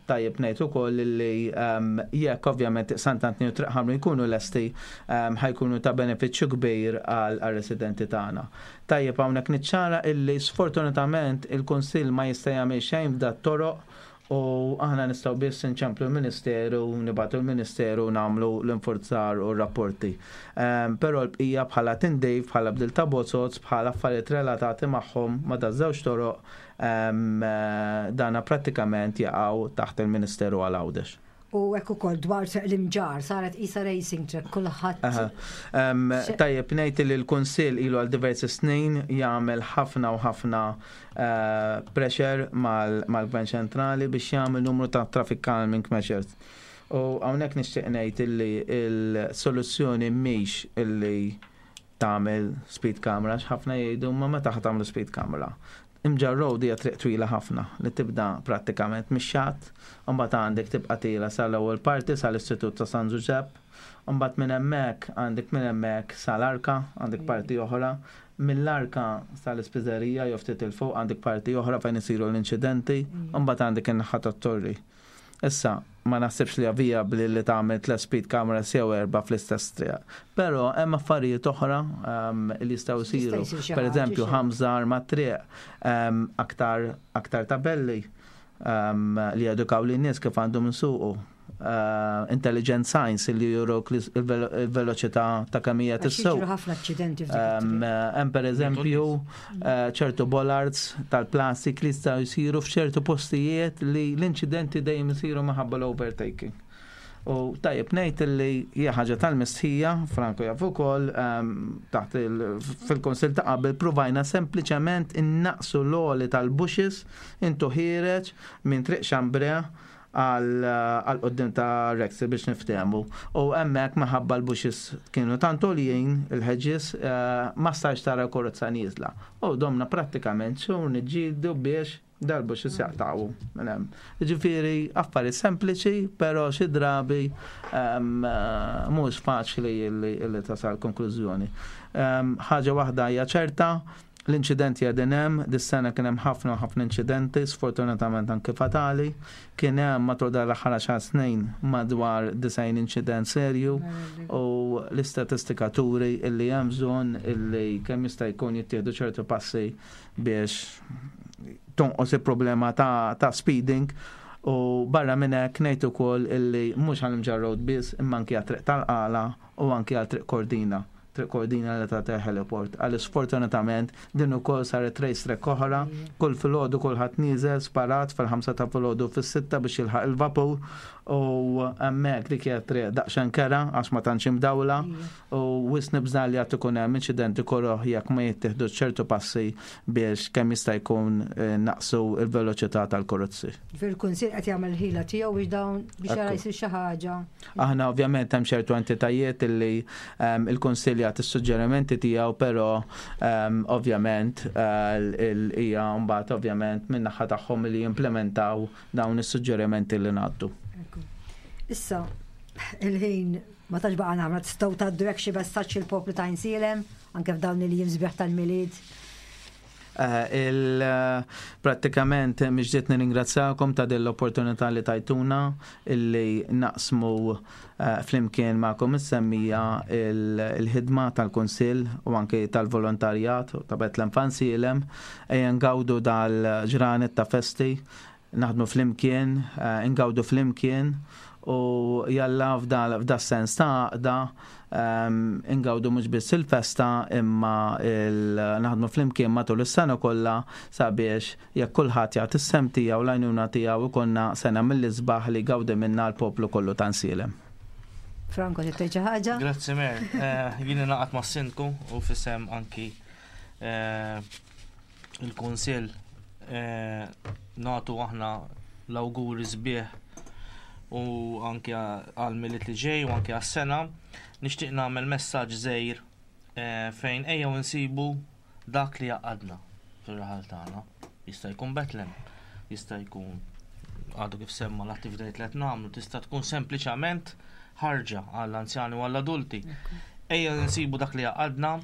tajjeb ngħid ukoll li jekk ovvjament Sant'Antnin u Triq Ħamri jkunu lesti ħa jkunu ta' benefiċċju kbir għar-residenti tagħna. Tajjeb hawnhekk niċċara illi sfortunatament il-Kunsill ma jista' jagħmel xejn f'dat-toroq U aħna nistgħu biss inċemplu l-Ministeru, nibagħtu l-Ministeru u nagħmlu l-infurzar u r-rapporti. Però l-bqija bħala tindif, bħala bdil ta' bozoz, bħala affarijiet relatati magħhom ma' daż-żewġ toroq, dana prattikament jaqgħu taħt il-Ministeru għal Għawdex.
U hekk ukoll dwar triq l-Imġarr saret qisha racing track kulħadd.
Tajjeb ngħid li l-Kunsill ilu għal diversi snin jagħmel ħafna u ħafna pressure mal-Gvern Ċentrali biex jagħmel numru ta' traffic calming measures. U hawnhekk nixtieq ngħid illi l-soluzzjoni mhix illi tagħmel speed camera, ħafna jgħidu ma meta ħa tagħmlu speed camera. Imġarr Road hija triq twila ħafna li tibda prattikament mix-xatt, u mbagħad għandek tibqa' tiela sal-ewwel parti sal-Istitut ta' San Ġużepp, u mbagħad minn hemmhekk għandek minn hemmhekk sal-Arka, għandek parti oħra, mill-Arka sal-Ispiżerija jew ftit 'il fuq għandek parti oħra fejn isiru l-inċidenti, u mbagħad għandek in-naħa tat-Torri. Issa, ma naħsibx li hija vijabbli li tagħmel tliet speed cameras jew erbgħa fl-istess triq. Però hemm affarijiet oħra li jistgħu jsiru. Per eżempju, ħamżar mat-triq, aktar aktar tabelli li jedukaw lin-nies kif għandhom isuqu. Intelligent signs li juruk il-veloċità ta' kemm hija tissuq.
ħafna aċċidenti
Hemm pereżempju ċertu bollards tal-plastik li jistgħu jsiru f'ċertu postijiet li l-inċidenti dejjem isiru minħabba l-overtaking. U tajjeb ngħid li hija ħaġa tal-mistħija, Franco jaf ukoll, taħt fil-Kunsill ta' qabel pruvajna sempliċement innaqsu l-għoli tal-bushes intu ħiereġ minn Triq Xambrea għal quddiem ta' Rexy biex niftehmu. U hemmhekk minħabba l-bushes kienu tant għoljin, il-hedges, ma stajtx tara l-karozza nieżla. U domna prattikament xhur niġġieldu biex dal-bushes jaqtgħu minn hemm. Jiġifieri affarijiet sempliċi, però xi drabi mhux faċli li tasal konklużjoni. Ħaġa waħda hija ċerta, L-inċidenti qegħdin hemm, dis-sena kien hemm ħafna u ħafna inċidenti, sfortunatament anki fatali. Kien hemm matul dan l-aħħar għaxar snin madwar 90 inċident serju u l-istatistika turi illi hemm bżonn illi kemm jista' jkun jittieħdu ċertu passi biex tonqos il-problema ta', ta speeding u barra minn hekk ngħid ukoll illi mhux għal Mġarr Road biss imma anki għat-triq tal-Qala u anki għal Triq Kordina. Triq Kordina li tagħti heliport. Għaliex sfortunatament din ukoll saret race track oħra, kull filgħodu kulħadd nieżel sparat fil-ħamsa ta' filgħodu fis-sitta biex jilħaq il-vapur u hemmhekk dik hija triq daqsxejn kerha għax ma tantx imdawla u wisq nibża' li għad ikun hemm inċidenti koroh jekk ma jittieħdux ċertu passi biex kemm jista' jkun naqsu l-veloċità tal-karozzi.
Ġifieri l-Kunsill qed jagħmel il-ħila tiegħu biex dawn biex jara jsir xi ħaġa.
Aħna ovvjament hemm ċertu entitajiet illi ehm, il-Kunsill jagħti s-suġġerimenti tiegħu, però ehm, ovvjament eh, hija mbagħad ovvjament min-naħa tagħhom li jimplementaw dawn is-suġġerimenti li ngħaddu.
Issa, il-ħin ma tax baqa' nagħmel tistgħu tgħaddu hekk xi messaġġ il-poplu ta' Insielem anke f'dawn il-jiem sbieħ tal-Milied.
Eh, il eh, prattikament miġdiet nirringrazzjakom ta' din l-opportunità li tajtuna illi naqsmu eh, flimkien ma'kom is-semmija il-ħidma tal-Kunsill u anke tal-volontarjat ta' Betlem Fansilem ejja ngawdu dal-ġranet ta' festi naħdmu flimkien, ingawdu flimkien u jalla f'da sens ta' għaqda ehm, ingawdu mhux biss il-festa imma naħdmu flimkien matul is-sena kollha sabiex jekk kulħadd jagħti s-sem tiegħu l-għajnuna tiegħu ikollna sena mill-isbaħ li jgawdi minnha l-poplu kollu ta' Nsielem.
Franco, trid tgħid xi ħaġa?
Grazzi Mer. Eh, jien ingħaqad mas-sindku u fisem anki eh, il-Kunsill eh, nagħtu aħna l-awguri sbieħ u anke għal miliet li ġej u anke għas-sena. Nixtieq nagħmel messaġġ żgħir eh, fejn ejjew insibu dak li jaqadna fir-raħal tagħna. Jista' jkun Betlem, jista' jkun għadu kif semma l-attivitajiet li qed nagħmlu, tista' tkun sempliċement ħarġa għall-anzjani u għall-adulti. Ejja nsibu dak li jaqadna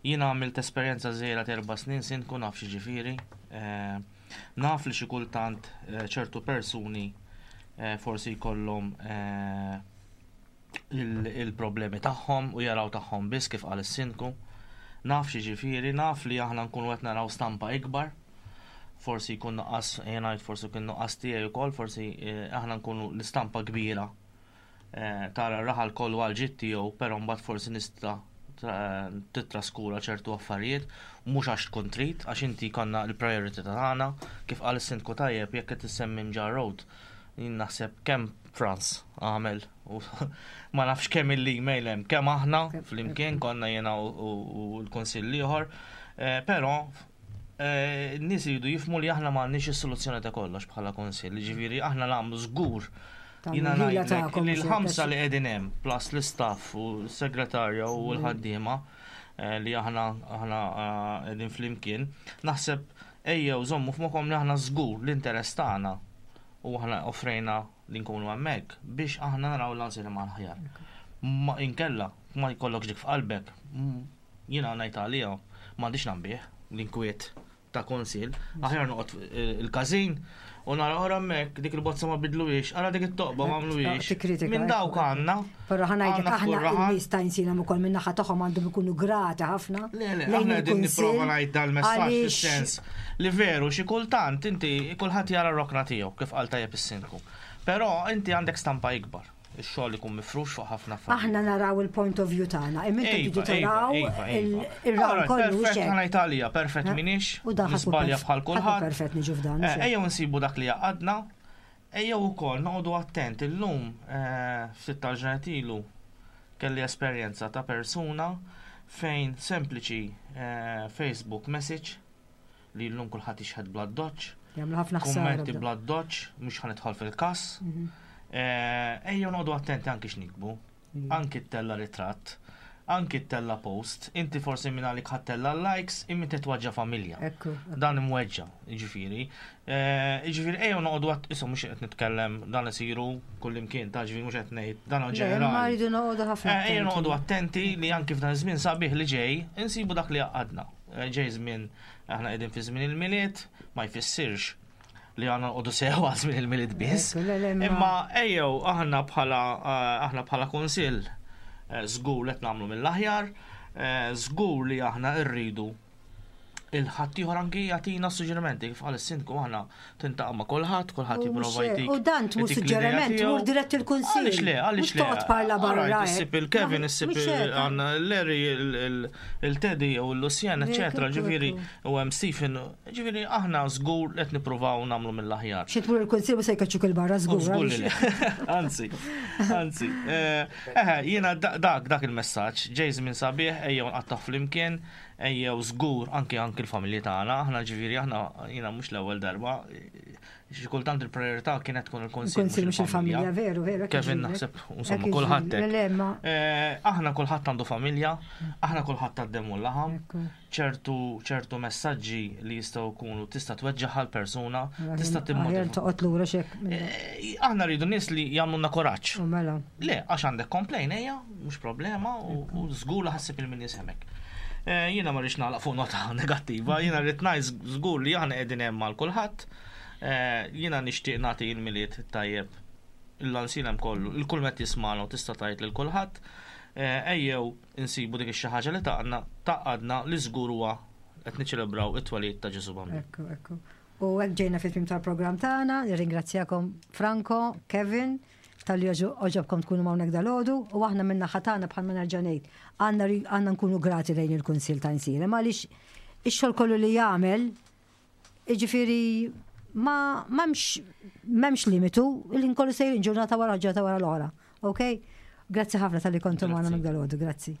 Jiena għamilt esperjenza żgħira t'erba' snin sindku naf x'jiġifieri. Naf li xi kultant ċertu persuni forsi jkollhom il-problemi tagħhom u jaraw tagħhom biss kif qal is-sindku. Naf x'jiġifieri, naf li aħna nkunu qed naraw stampa ikbar. Forsi jkun nuqqas, jien ngħid forsi kien nuqqas tiegħi wkoll, forsi aħna nkunu l-istampa kbira tara r-raħal kollu għal ġid tiegħu, però mbagħad forsi nista' titraskura ċertu affarijiet, mhux għax tkun trid, għax inti konna l-priority tagħna, kif qal is-sindku tajjeb jekk qed issemmi Mġarr Road, jien naħseb kemm Franz għamel u ma nafx kemm il-email hemm, kemm aħna flimkien konna jiena u l-kunsill ieħor, eh, però eh, n-nies iridu jifhmu li aħna m'għandniex is-soluzzjoni ta' kollox bħala kunsill, jiġifieri aħna nagħmlu żgur Jiena ngħidlek li l-ħamsa li qegħdin hemm plus l-istaff u s-segretarja u l-ħaddiema eh, li aħna aħna eh, qegħdin flimkien, naħseb ejjew żommu f'moħħkom li aħna żgur l-interess tagħna u aħna offrejna li nkunu hemmhekk biex aħna naraw l-għażil ma' l-aħjar. Ma inkella ma jkollokx dik f'qalbek, jiena ngħid għalija m'għandix nambih l-inkwiet ta' konsil, aħjar noqgħod eh, il-każin u nara ora hemmhekk dik il-bozza ma bidluhiex, ara dik it-toqba ma għamluhiex.
Tikkritika,
Minn dawk għandna.
Però ħa ngħidlek
għandna
aħna
f'kull raħal.
n-nies ta' Insilem ukoll min-naħa tagħhom għandhom ikunu grati ħafna.
Le, le,
lejn
aħna qegħdin
il-Kunsill
nipprova ngħid dal-messaġġ
għaliex
fis-sens li veru xi kultant inti kulħadd jara r-rokna tiegħu kif qal tajjeb is-sindku. Però inti għandek stampa ikbar. Ix-xogħol ikun mifrux fuq ħafna affarijiet.
Aħna naraw il-point of view tagħna, imma intom tridu
Iva,
taraw
iva, iva, iva.
ir-rawn
Alright,
kollu
Perfett
xejn.
ħa ngħid għalija, perfett m'iniex,
U dan ħadd mhu
nisbalja
perf-
bħal
ħadd mhu
kulħadd.
perfett niġu f'dan,
Eh,
mhux hekk.
Ejjew nsibu dak li jgħaqqadna, ejjew ukoll noqogħdu attent illum eh, ftit tal-ġranet ilu kelli esperjenza ta' persuna fejn sempliċi eh, Facebook message li llum kulħadd jixħet bl-addoċċ.
Jagħmlu ħafna ħsara.
Kummenti bl-addoċċ, mhux ħa nidħol fil-każ. Mhm. Eh, ejjew noqogħdu attenti anki x'nikbu. Mhm. Anki ttella ritratt, anki ttella post, inti forsi minn għalik ħattella likes, imma titwaġġa familja. Dan imweġġa, jiġifieri. Eh, jiġifieri ejjew noqogħdu att issa mhux qed nitkellem dan isiru kullimkien ta' ġifieri mhux qed ngħid dan ġenerali.
Ma rridu noqogħdu ħafna.
Eh, ejjew noqogħdu attenti li anki f'dan iż-żmien sabiħ li ġej insibu dak li għaqadna. Ġej żmien aħna qegħdin fi żmien il-Milied, ma jfissirx li għandna nqogħdu sewa żmien il-Milied biss. Imma ejjew aħna bħala eh, aħna bħala kunsill eh, żgur li qed nagħmlu mill-aħjar, eh, żgur li aħna rridu il-ħaddieħor anki jagħtina suġġerimenti kif qal is-sindku aħna tintaqa' ma' kulħadd, kulħadd jipprova jtik.
U dan tmur suġġeriment, tmur dirett il-kunsill.
Għaliex le, għaliex le.
Toqgħod parla barra.
Issib il-Kevin, issib għandna Larry, il-Teddy u l-Lucien, eċetera, ġifieri u hemm Stephen, ġifieri aħna żgur qed nippruvaw nagħmlu mill-aħjar.
Xi tmur il-kunsill u se jkeċċuk il-barra żgur.
Żgur li le. Anzi, anzi. Eh, eh, jiena dak dak il-messaġġ, ġej żmien sabiħ, ejjew nqattgħu flimkien, Ejjew żgur anki anki l-familji tagħna, aħna ġifieri aħna jiena mhux l-ewwel darba, xi kultant il-priorità kienet tkun il-kunsill.
Il-kunsill mhux il-familja, veru, veru.
Kevin naħseb insomma kulħadd. Eh, aħna kulħadd għandu familja, aħna kulħadd għaddem u laħam, ċertu ċertu messaġġi li jistgħu jkunu tista' tweġġaħ għal persuna, tista'
timmotiva. Toqgħod lura xek.
Eh, aħna rridu nies li jagħmlulna kuraġġ.
Mela.
Le, għax għandek complain ejja, mhux problema u żgur li ħassib il-min jisemek. Eh, jiena ma rridx nagħlaq fuq nota negattiva, jiena rrid ngħid żgur li aħna qegħdin hemm għal kulħadd. Eh, jiena nixtieq nagħti l-milied tajjeb il-lansilem kollu, il-kull met jismana u tista' tgħid lil kulħadd. Eh, ejjew insibu dik ix-xi ħaġa li taqna taqadna li żgur huwa qed niċċelebraw it-twelid ta' Ġesu Bambin.
Ekku, ekku. U hekk ġejna fit-tmiem tal-programm tagħna, nirringrazzjakom Franco, Kevin, talli għoġobkom tkunu hawnhekk dalgħodu u aħna minn naħa tagħna bħalma nerġa' ngħid għandna nkunu grati lejn il-Kunsill ta' Insielem għaliex ix-xogħol kollu li jagħmel jiġifieri ma m'hemmx m'hemmx limitu, il-ħin kollu sejrin ġurnata wara ġurnata wara l-oħra. Ok? Grazzi ħafna talli kontu magħna minn dalgħodu, grazzi.